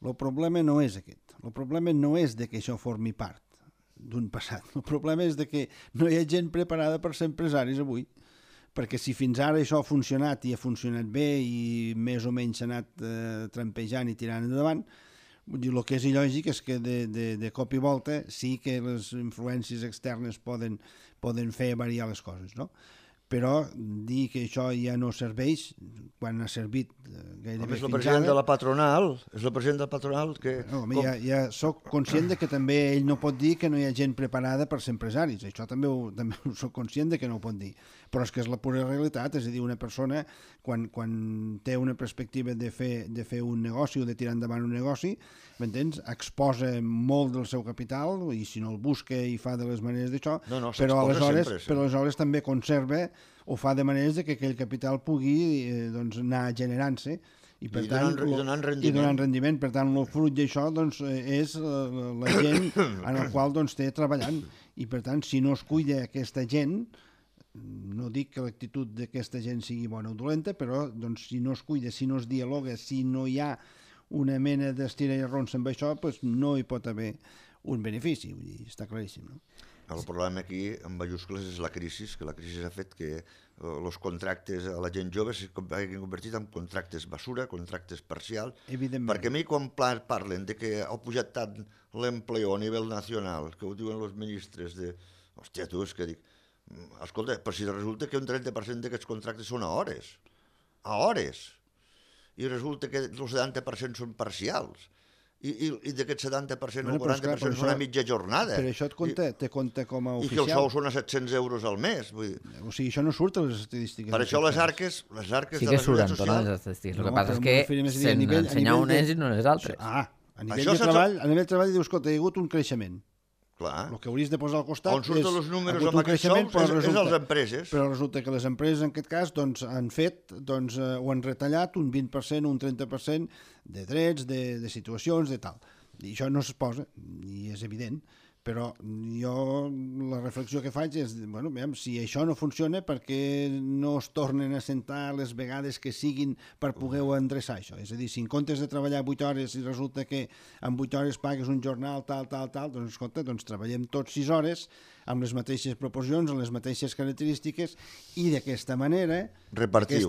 S3: El problema no és aquest. El problema no és de que això formi part d'un passat. El problema és de que no hi ha gent preparada per ser empresaris avui, perquè si fins ara això ha funcionat i ha funcionat bé i més o menys s'ha anat trampejant i tirant endavant, el que és il·lògic és que de cop i volta sí que les influències externes poden fer variar les coses, no? Però dir que això ja no serveix quan ha servit gairebé fins ara...
S4: És el president de la patronal, és el president de la patronal que...
S3: Ja soc conscient de que també ell no pot dir que no hi ha gent preparada per ser empresaris, això també soc conscient de que no ho pot dir, però és que és la pura realitat, és a dir, una persona quan té una perspectiva de fer un negoci o de tirar endavant un negoci, m'entens? Exposa molt del seu capital i si no el busca i fa de les maneres d'això, però aleshores també conserva o fa de maneres que aquell capital pugui anar generant-se i donant rendiment. Per tant, el fruit d'això és la gent en la qual té treballant i per tant, si no es cuida aquesta gent, no dic que l'actitud d'aquesta gent sigui bona o dolenta, però si no es cuida, si no es dialoga, si no hi ha una mena d'estira i arronsa amb això, no hi pot haver un benefici, vull dir, està claríssim, no?
S4: El problema aquí, en majúscules, és la crisi, que la crisi ha fet que els contractes a la gent jove s'hagin convertit en contractes basura, contractes parcials, perquè a mi quan parlen de que ha pujat tant l'empleo a nivell nacional, que ho diuen els ministres de... Hòstia, tu, és que dic... Escolta, però si resulta que un 30% d'aquests contractes són a hores, i resulta que el 70% són parcials, i d'aquest 70% o 40% són a mitja jornada.
S3: Però això te compta com a oficial.
S4: I que el sou són a 700 euros al mes. Vull dir.
S3: O sigui, això no surt a les estadístiques.
S4: Per això les arques
S1: sí
S4: de la
S1: Seguretat Social... Les estadístiques. El que passa és que se'n ensenyar unes i no les altres.
S3: A nivell de treball dius, escolta, hi ha hagut un creixement.
S4: Clar.
S3: El que hauries de posar al costat
S4: on surten els números amb aquests sous és les empreses.
S3: Però resulta que les empreses en aquest cas han fet o han retallat un 20%, un 30% de drets, de situacions, de tal. I això no es posa, i és evident. Però jo la reflexió que faig és, bueno, si això no funciona, per què no es tornen a sentar les vegades que siguin per poder endreçar això? És a dir, si en comptes de treballar 8 hores i resulta que en 8 hores pagues un jornal tal, doncs escolta, treballem tots 6 hores amb les mateixes proporcions, amb les mateixes característiques i d'aquesta manera repartiu.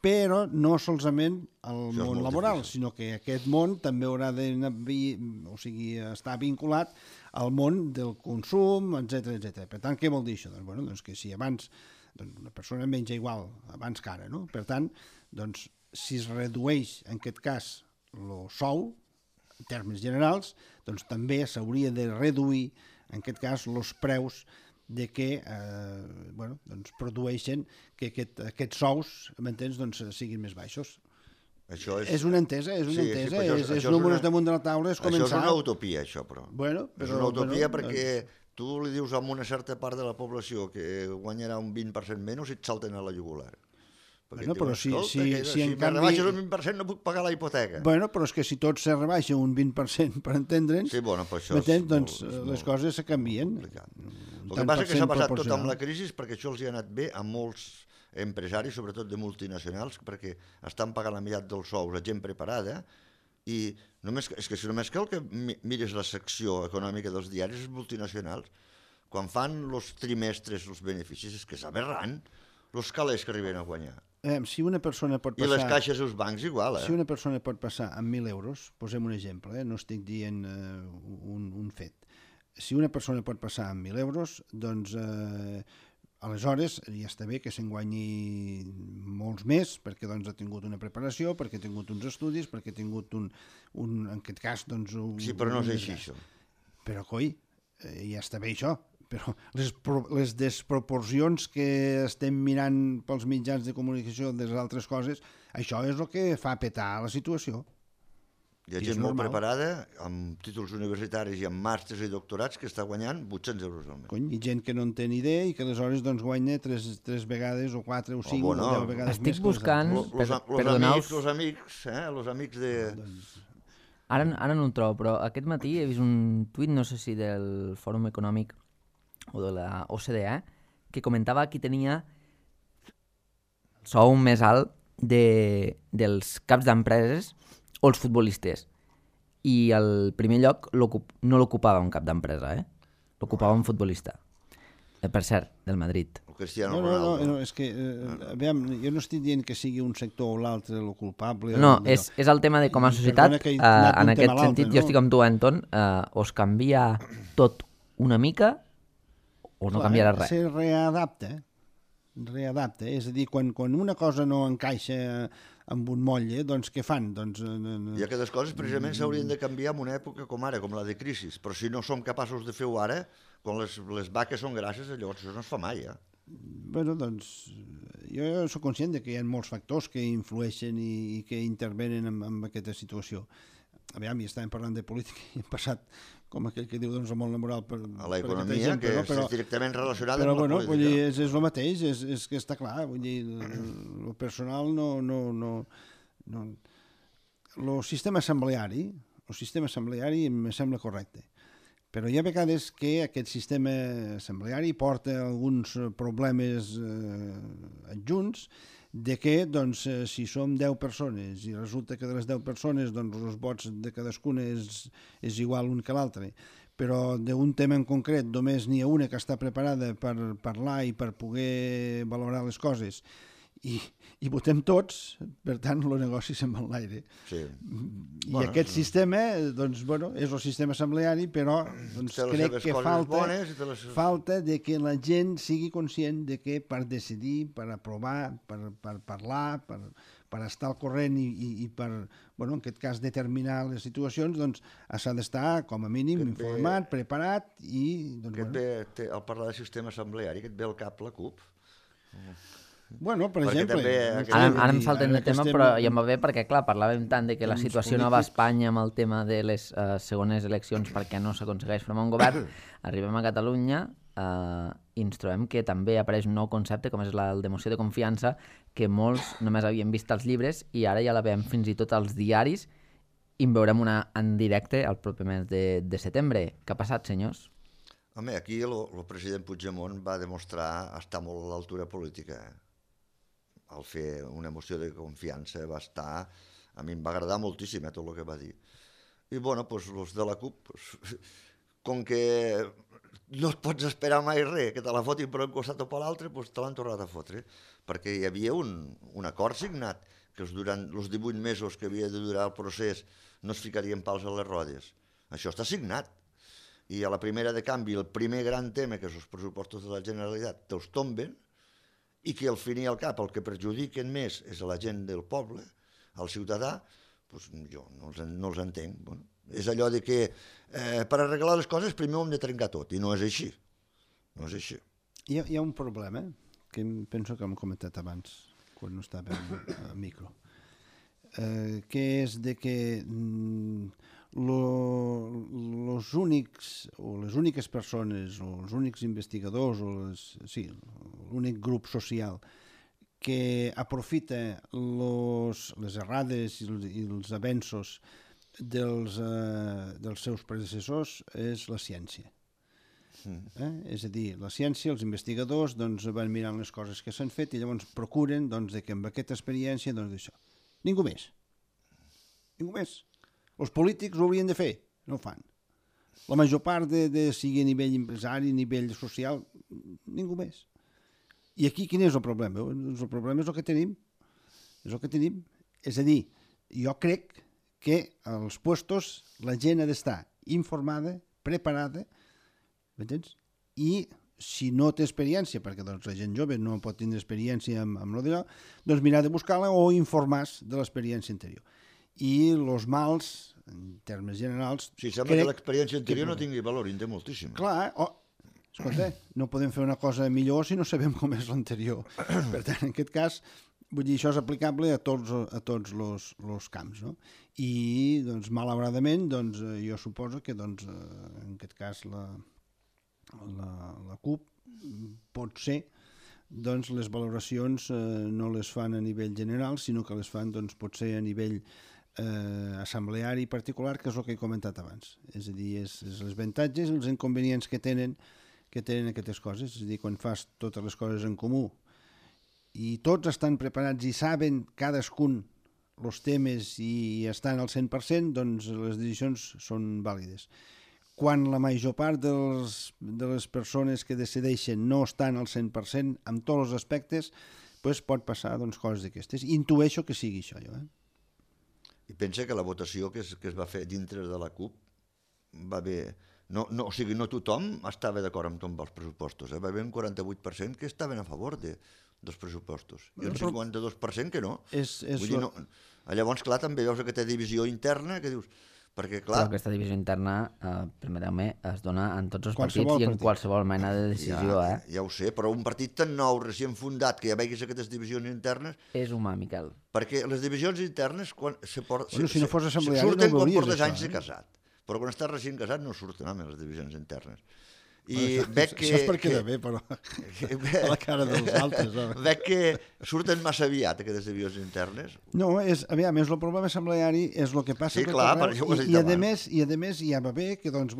S3: Però no solament al món laboral, sinó que aquest món també haurà d'estar vinculat al món del consum, etc. Per tant, què vol dir això? Doncs que si abans una persona menja igual abans que ara, no? Per tant, si es redueix en aquest cas el sou, en termes generals, doncs també s'hauria de reduir en aquest cas, els preus de que produeixen que aquests sous, m'entens, siguin més baixos. És una entesa, és números damunt de la taula, és començar...
S4: Això és una utopia, això, però. És una utopia perquè tu li dius a una certa part de la població que guanyarà un 20% menys i et salten a la jugular. Perquè
S3: Bueno,
S4: et diuen,
S3: però si
S4: si
S3: en
S4: me
S3: canvi...
S4: rebaixes un 20% no puc pagar la hipoteca.
S3: Bueno, però és que si tot se rebaixa un 20% per entendre'ns,
S4: Sí, bueno, però això
S3: doncs
S4: és
S3: les coses se canvien.
S4: complicat. El que passa és que s'ha passat tot amb la crisi perquè això els hi ha anat bé a molts empresaris, sobretot de multinacionals, perquè estan pagant la meitat dels sous a gent preparada i és que si només cal que mires la secció econòmica dels diaris multinacionals, quan fan els trimestres, els beneficis, és que és aberrant els calés que arriben a guanyar.
S3: Si una persona pot passar...
S4: I les caixes i els bancs igual,
S3: Si una persona pot passar amb 1.000 euros, posem un exemple, no estic dient un fet. Si una persona pot passar amb 1.000 euros, doncs aleshores ja està bé que se'n guanyi molts més, perquè doncs, ha tingut una preparació, perquè ha tingut uns estudis, perquè ha tingut en aquest cas... Doncs,
S4: sí, però no és així, això.
S3: Però, coi, ja està bé això. Però les desproporcions que estem mirant pels mitjans de comunicació de les altres coses, això és el que fa petar la situació.
S4: Hi ha gent molt preparada, amb títols universitaris i amb màsters i doctorats, que està guanyant 800 euros al mes.
S3: Cony, i gent que no en té ni idea i que aleshores doncs, guanya 3 vegades o 4 o 5 o 10 vegades
S1: estic
S3: més.
S1: Estic buscant...
S4: Els amics de...
S1: Ara no el trobo, però aquest matí he vist un tuit, no sé si del Fòrum Econòmic o de la OCDE, que comentava qui tenia el sou més alt dels caps d'empreses o els futbolistes. I al primer lloc no l'ocupava un cap d'empresa, l'ocupava un futbolista. Per cert, del Madrid.
S4: Cristiano Ronaldo.
S3: No, és que, aviam, jo no estic dient que sigui un sector o l'altre el culpable.
S1: No, és el tema de com a societat, en aquest sentit, jo estic amb tu, Anton, o es canvia tot una mica o no canviarà res.
S3: Se readapta, és a dir, quan una cosa no encaixa amb un motlle, doncs què fan?
S4: I aquestes coses precisament s'haurien de canviar en una època com ara, com la de crisi, però si no som capaços de fer-ho ara, quan les vaques són grasses, llavors això no es fa mai,
S3: Bueno, doncs, jo soc conscient que hi ha molts factors que influeixen i que intervenen en aquesta situació. Aviam, ja estàvem parlant de política i hem passat, com aquell que diu, doncs, el món laboral
S4: a l'economia, que és directament relacionada
S3: amb
S4: la política.
S3: Però, vull dir, és el mateix, és que està clar, vull dir, el personal el sistema assembleari em sembla correcte. Però hi ha vegades que aquest sistema assembleari porta alguns problemes adjunts de que, doncs, si som 10 persones i resulta que de les 10 persones doncs, els vots de cadascuna és igual un que l'altre, però d'un tema en concret només n'hi ha una que està preparada per parlar i per poder valorar les coses i votem tots, per tant, el negoci se'n va en l'aire.
S4: Sí.
S3: I aquest sistema, doncs, bueno, és el sistema assembleari, però doncs, crec que falta de que la gent sigui conscient de que per decidir, per aprovar, per parlar, per estar al corrent i per, bueno, en aquest cas, determinar les situacions, doncs, s'ha d'estar, com a mínim, informat, preparat i...
S4: Al parlar de sistema assembleari, que et ve al cap la CUP.
S3: Bueno, per exemple...
S1: Ara em saltem de tema, però ja em va bé perquè, clar, parlàvem tant de que la situació no va a Espanya amb el tema de les segones eleccions perquè no s'aconsegueix formar un govern. Arribem a Catalunya i ens trobem que també apareix un nou concepte com és el de moció de confiança que molts només havien vist als llibres i ara ja la veiem fins i tot als diaris i en veurem una en directe el proper mes de setembre. Què ha passat, senyors?
S4: Home, aquí el president Puigdemont va demostrar estar molt a l'altura política, al fer una moció de confiança va estar... A mi em va agradar moltíssim tot el que va dir. I, bueno, doncs, els de la CUP, com que no et pots esperar mai res, que te la fotin per un costat o per l'altre, doncs te l'han tornat a fotre. Perquè hi havia un acord signat, que durant els 18 mesos que havia de durar el procés no es ficarien pals a les rodes. Això està signat. I a la primera de canvi, el primer gran tema, que és els pressupostos de la Generalitat, te'ls tomben, i que al fin i al cap el que perjudiquen més és a la gent del poble, al ciutadà, doncs jo no els entenc. Bueno, és allò de que per arreglar les coses primer ho hem de trencar tot, i no és així. No és així.
S3: Hi ha un problema que penso que hem comentat abans, quan no estava al micro, que és de que les úniques persones o els únics investigadors o l'únic grup social que aprofita les errades i els avenços dels seus predecessors és la ciència. És a dir, la ciència, els investigadors doncs, van mirant les coses que s'han fet i llavors procuren doncs, que amb aquesta experiència doncs, això. Ningú més. Els polítics ho haurien de fer, no ho fan. La major part sigui a nivell empresari, a nivell social, ningú més. I aquí quin és el problema? El problema és el que tenim. És a dir, jo crec que als puestos la gent ha d'estar informada, preparada, m'entens? I si no té experiència, perquè doncs, la gent jove no pot tindre experiència amb lo d'allò, doncs mirar de buscar-la o informar-se de l'experiència anterior. I els mals, en termes generals...
S4: Sí, sembla que l'experiència anterior no tingui valor, en té moltíssim.
S3: Clar, escolta, no podem fer una cosa millor si no sabem com és l'anterior. Per tant, en aquest cas, vull dir, això és aplicable a tots els camps, no? I, doncs, malauradament, doncs, jo suposo que, doncs, en aquest cas, la CUP pot ser, doncs, les valoracions no les fan a nivell general, sinó que les fan, doncs, potser a nivell assembleari particular, que és el que he comentat abans. És a dir, és els avantatges i els inconvenients que tenen aquestes coses. És a dir, quan fas totes les coses en comú i tots estan preparats i saben cadascun els temes i estan al 100%, doncs les decisions són vàlides. Quan la major part de les persones que decideixen no estan al 100% amb tots els aspectes, doncs pot passar doncs, coses d'aquestes. Intueixo que sigui això, jo.
S4: I pensa que la votació que es va fer dintre de la CUP va haver... o sigui, no tothom estava d'acord amb tots els pressupostos. Va haver un 48% que estaven a favor dels pressupostos i un 52% que no. Vull dir, no. Llavors, clar, també veus aquesta divisió interna que dius... Perquè, clar...
S1: Però aquesta divisió interna, permeteu-me, es dona en tots els partits i en qualsevol mena de decisió.
S4: Ja ho sé, però un partit tan nou, recient fundat, que ja veguis aquestes divisions internes...
S1: És humà, Miquel.
S4: Perquè les divisions internes, quan
S3: si no fos assembleari,
S4: surten
S3: no
S4: quan
S3: veuries
S4: portes
S3: això,
S4: anys de casat. Però quan estàs recient casat no surten les divisions internes.
S3: I veig que... Això és per quedar bé, però a la cara dels altres.
S4: Veig que surten massa aviat aquestes divisions internes.
S3: No, aviam, el problema assembleari és el que passa
S4: sí, clar, per això ho has dit abans.
S3: I a més ja va bé que, doncs,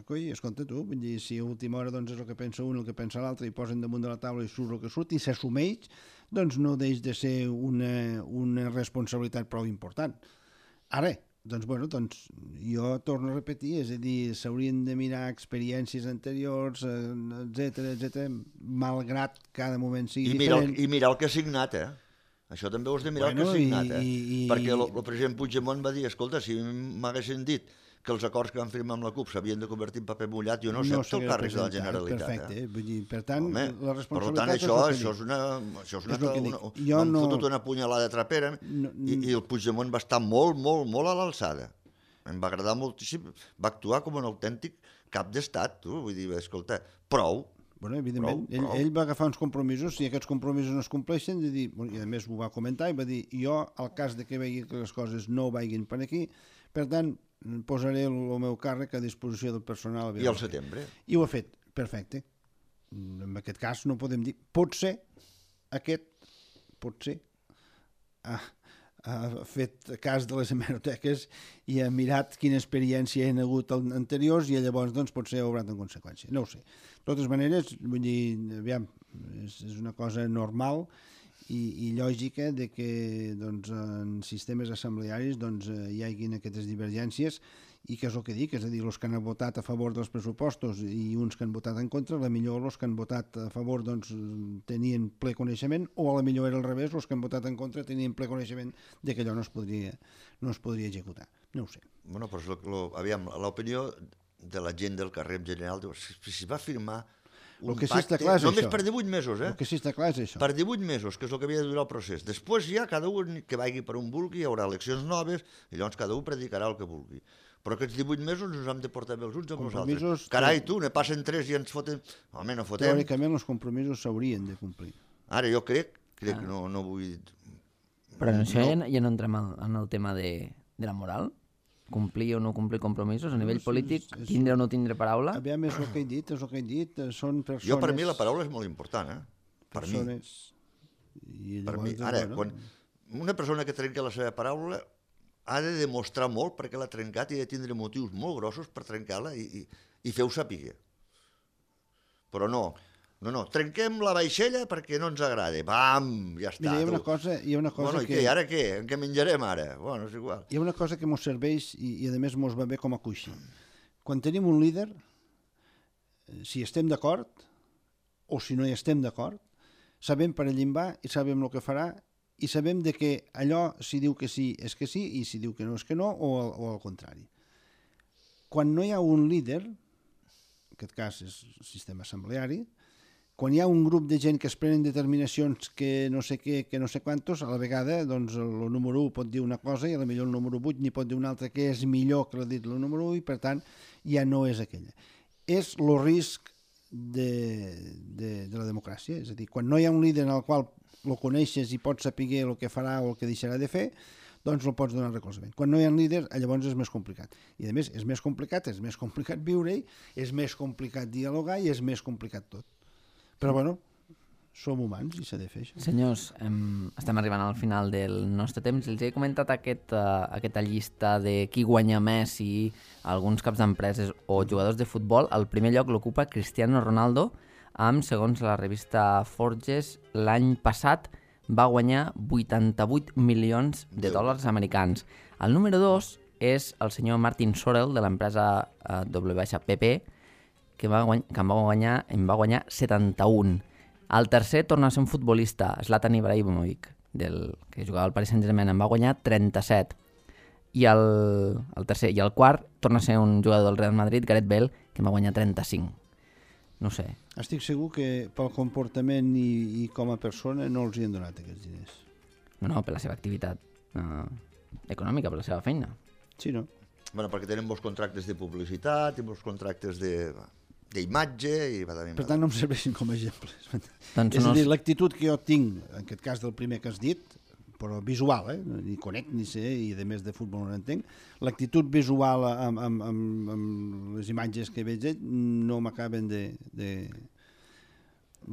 S3: coi, escolta tu, vull dir, si a última hora doncs, és el que pensa un, el que pensa l'altre, i posen damunt de la taula i surt el que surt, i s'assumeix, doncs no deix de ser una responsabilitat prou important. Ara, doncs jo torno a repetir, és a dir, s'haurien de mirar experiències anteriors, etc, malgrat cada moment sigui diferent.
S4: I mirar el que ha signat, Això també ho has de mirar el que ha signat, Perquè el president Puigdemont va dir, escolta, si m'haguessin dit que els acords que van firmar amb la CUP s'havien de convertir en paper mullat, jo no accepto el càrrec de la Generalitat.
S3: Perfecte, vull dir, per tant, la responsabilitat...
S4: Per tant, això m'han fotut una punyalada trapera i el Puigdemont va estar molt, molt, molt a l'alçada. Em va agradar moltíssim, va actuar com un autèntic cap d'estat, vull dir, escolta, prou.
S3: Bueno, evidentment, ell va agafar uns compromisos, si aquests compromisos no es compleixen, i a més ho va comentar, i va dir, jo, al cas de que vegi que les coses no vagin per aquí, per tant, posaré el meu càrrec a disposició del personal.
S4: I al setembre.
S3: I ho ha fet, perfecte. En aquest cas no podem dir, potser ha fet cas de les hemeroteques i ha mirat quina experiència hi ha hagut anteriors i llavors doncs, potser ha obrat en conseqüència. No ho sé. De totes maneres, vull dir, aviam, és una cosa normal i lògica de que doncs, en sistemes assemblearis doncs, hi haguin aquestes divergències i que és el que dic, és a dir, els que han votat a favor dels pressupostos i uns que han votat en contra, a la millor els que han votat a favor doncs, tenien ple coneixement o a la millor era al revés, els que han votat en contra tenien ple coneixement de que allò no es podria executar. No ho sé.
S4: Bueno, però aviam, l'opinió de la gent del carrer en general, si va firmar un pacte, només per 18 mesos,
S3: El que sí està clar és això.
S4: Per 18 mesos, que és el que havia de durar el procés. Després ja cada un que vagi per on vulgui, hi haurà eleccions noves, i llavors cada un predicarà el que vulgui. Però aquests 18 mesos ens hem de portar bé els uns amb els altres. Carai, tu, ne passen 3 i ens fotem... Home, no fotem.
S3: Teòricament els compromisos s'haurien de complir.
S4: Ara, jo crec que no vull...
S1: Però això ja no entrem en el tema de la moral? Complir o no complir compromisos a nivell polític, tindre o no tindre paraula?
S3: Aviam, és el que he dit, són persones...
S4: Jo, per mi, la paraula és molt important, Per mi.
S3: I
S4: Per
S3: llavors,
S4: mi, ara, quan una persona que trenca la seva paraula ha de demostrar molt perquè l'ha trencat i ha de tindre motius molt grossos per trencar-la i fer-ho saber. Però no, trenquem la vaixella perquè no ens agrada. Bam, ja està.
S3: Mira, hi ha una cosa
S4: bueno,
S3: que...
S4: I ara què? En què menjarem ara? Bueno, és igual.
S3: Hi ha una cosa que mos serveix i a més mos va bé com a coixí. Quan tenim un líder, si estem d'acord o si no hi estem d'acord, sabem per allà va i sabem el que farà i sabem de que allò, si diu que sí, és que sí, i si diu que no, és que no, o al contrari. Quan no hi ha un líder, en aquest cas és el sistema assembleari, quan hi ha un grup de gent que es prenen determinacions que no sé què, que no sé quantos, a la vegada doncs, el número 1 pot dir una cosa i a la millor el número 8 n'hi pot dir una altra que és millor que l'ha dit el número 1 i per tant ja no és aquella. És el risc de la democràcia, és a dir, quan no hi ha un líder en el qual el coneixes i pots saber el que farà o el que deixarà de fer, doncs el pots donar recolzament. Quan no hi ha líder, llavors és més complicat. I a més, és més complicat viure-hi, és més complicat dialogar i és més complicat tot. Però bueno, som humans i s'ha de fer això.
S1: Senyors, estem arribant al final del nostre temps. Els he comentat aquesta llista de qui guanya més i alguns caps d'empreses o jugadors de futbol. El primer lloc l'ocupa Cristiano Ronaldo, amb, segons la revista Forbes, l'any passat va guanyar 88 milions de dòlars americans. El número 2 és el senyor Martin Sorrell, de l'empresa WPP, que en va guanyar 71. El tercer torna a ser un futbolista, Zlatan Ibrahimovic, que jugava al Paris Saint-Germain, en va guanyar 37. I el tercer i el quart torna a ser un jugador del Real Madrid, Gareth Bale, que en va guanyar 35. No sé.
S3: Estic segur que pel comportament i com a persona no els hi han donat aquests diners.
S1: No, per la seva activitat econòmica, per la seva feina.
S3: Sí, no?
S4: Bueno, perquè tenen molts contractes de publicitat i molts contractes d'imatge i va també.
S3: Per tant, no em serveixin com a exemples.
S1: Doncs
S3: és a dir, l'actitud que jo tinc, en aquest cas del primer que has dit, però visual, ni conec ni sé, i a més de futbol no entenc, l'actitud visual amb les imatges que veig no m'acaben de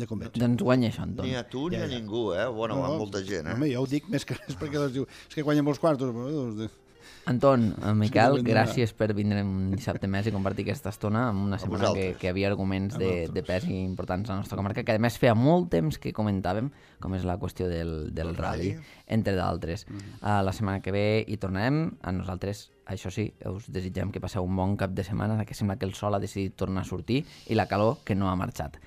S3: convèncer.
S1: Doncs guanya això, Anton.
S4: Ni a tu ni a ningú, Bueno, a molta gent,
S3: Home, jo ho dic més que res perquè les diu, és que guanya molts quartos.
S1: Anton, Miquel, gràcies per vindre un dissabte més i compartir aquesta estona en una setmana que havia arguments de pes i importants a la nostra comarca, que a més feia molt temps que comentàvem, com és la qüestió del rally, entre d'altres. La setmana que ve hi tornarem. A nosaltres, això sí, us desitgem que passeu un bon cap de setmana, que sembla que el sol ha decidit tornar a sortir i la calor que no ha marxat.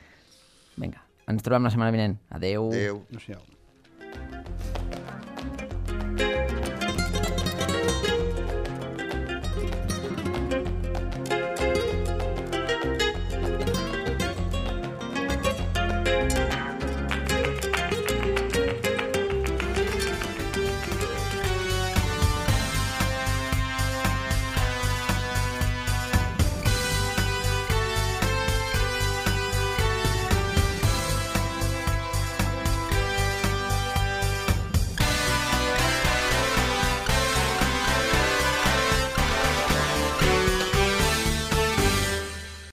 S1: Vinga, ens trobem la setmana vinent. Adeu.
S4: Adeu.
S3: Adéu.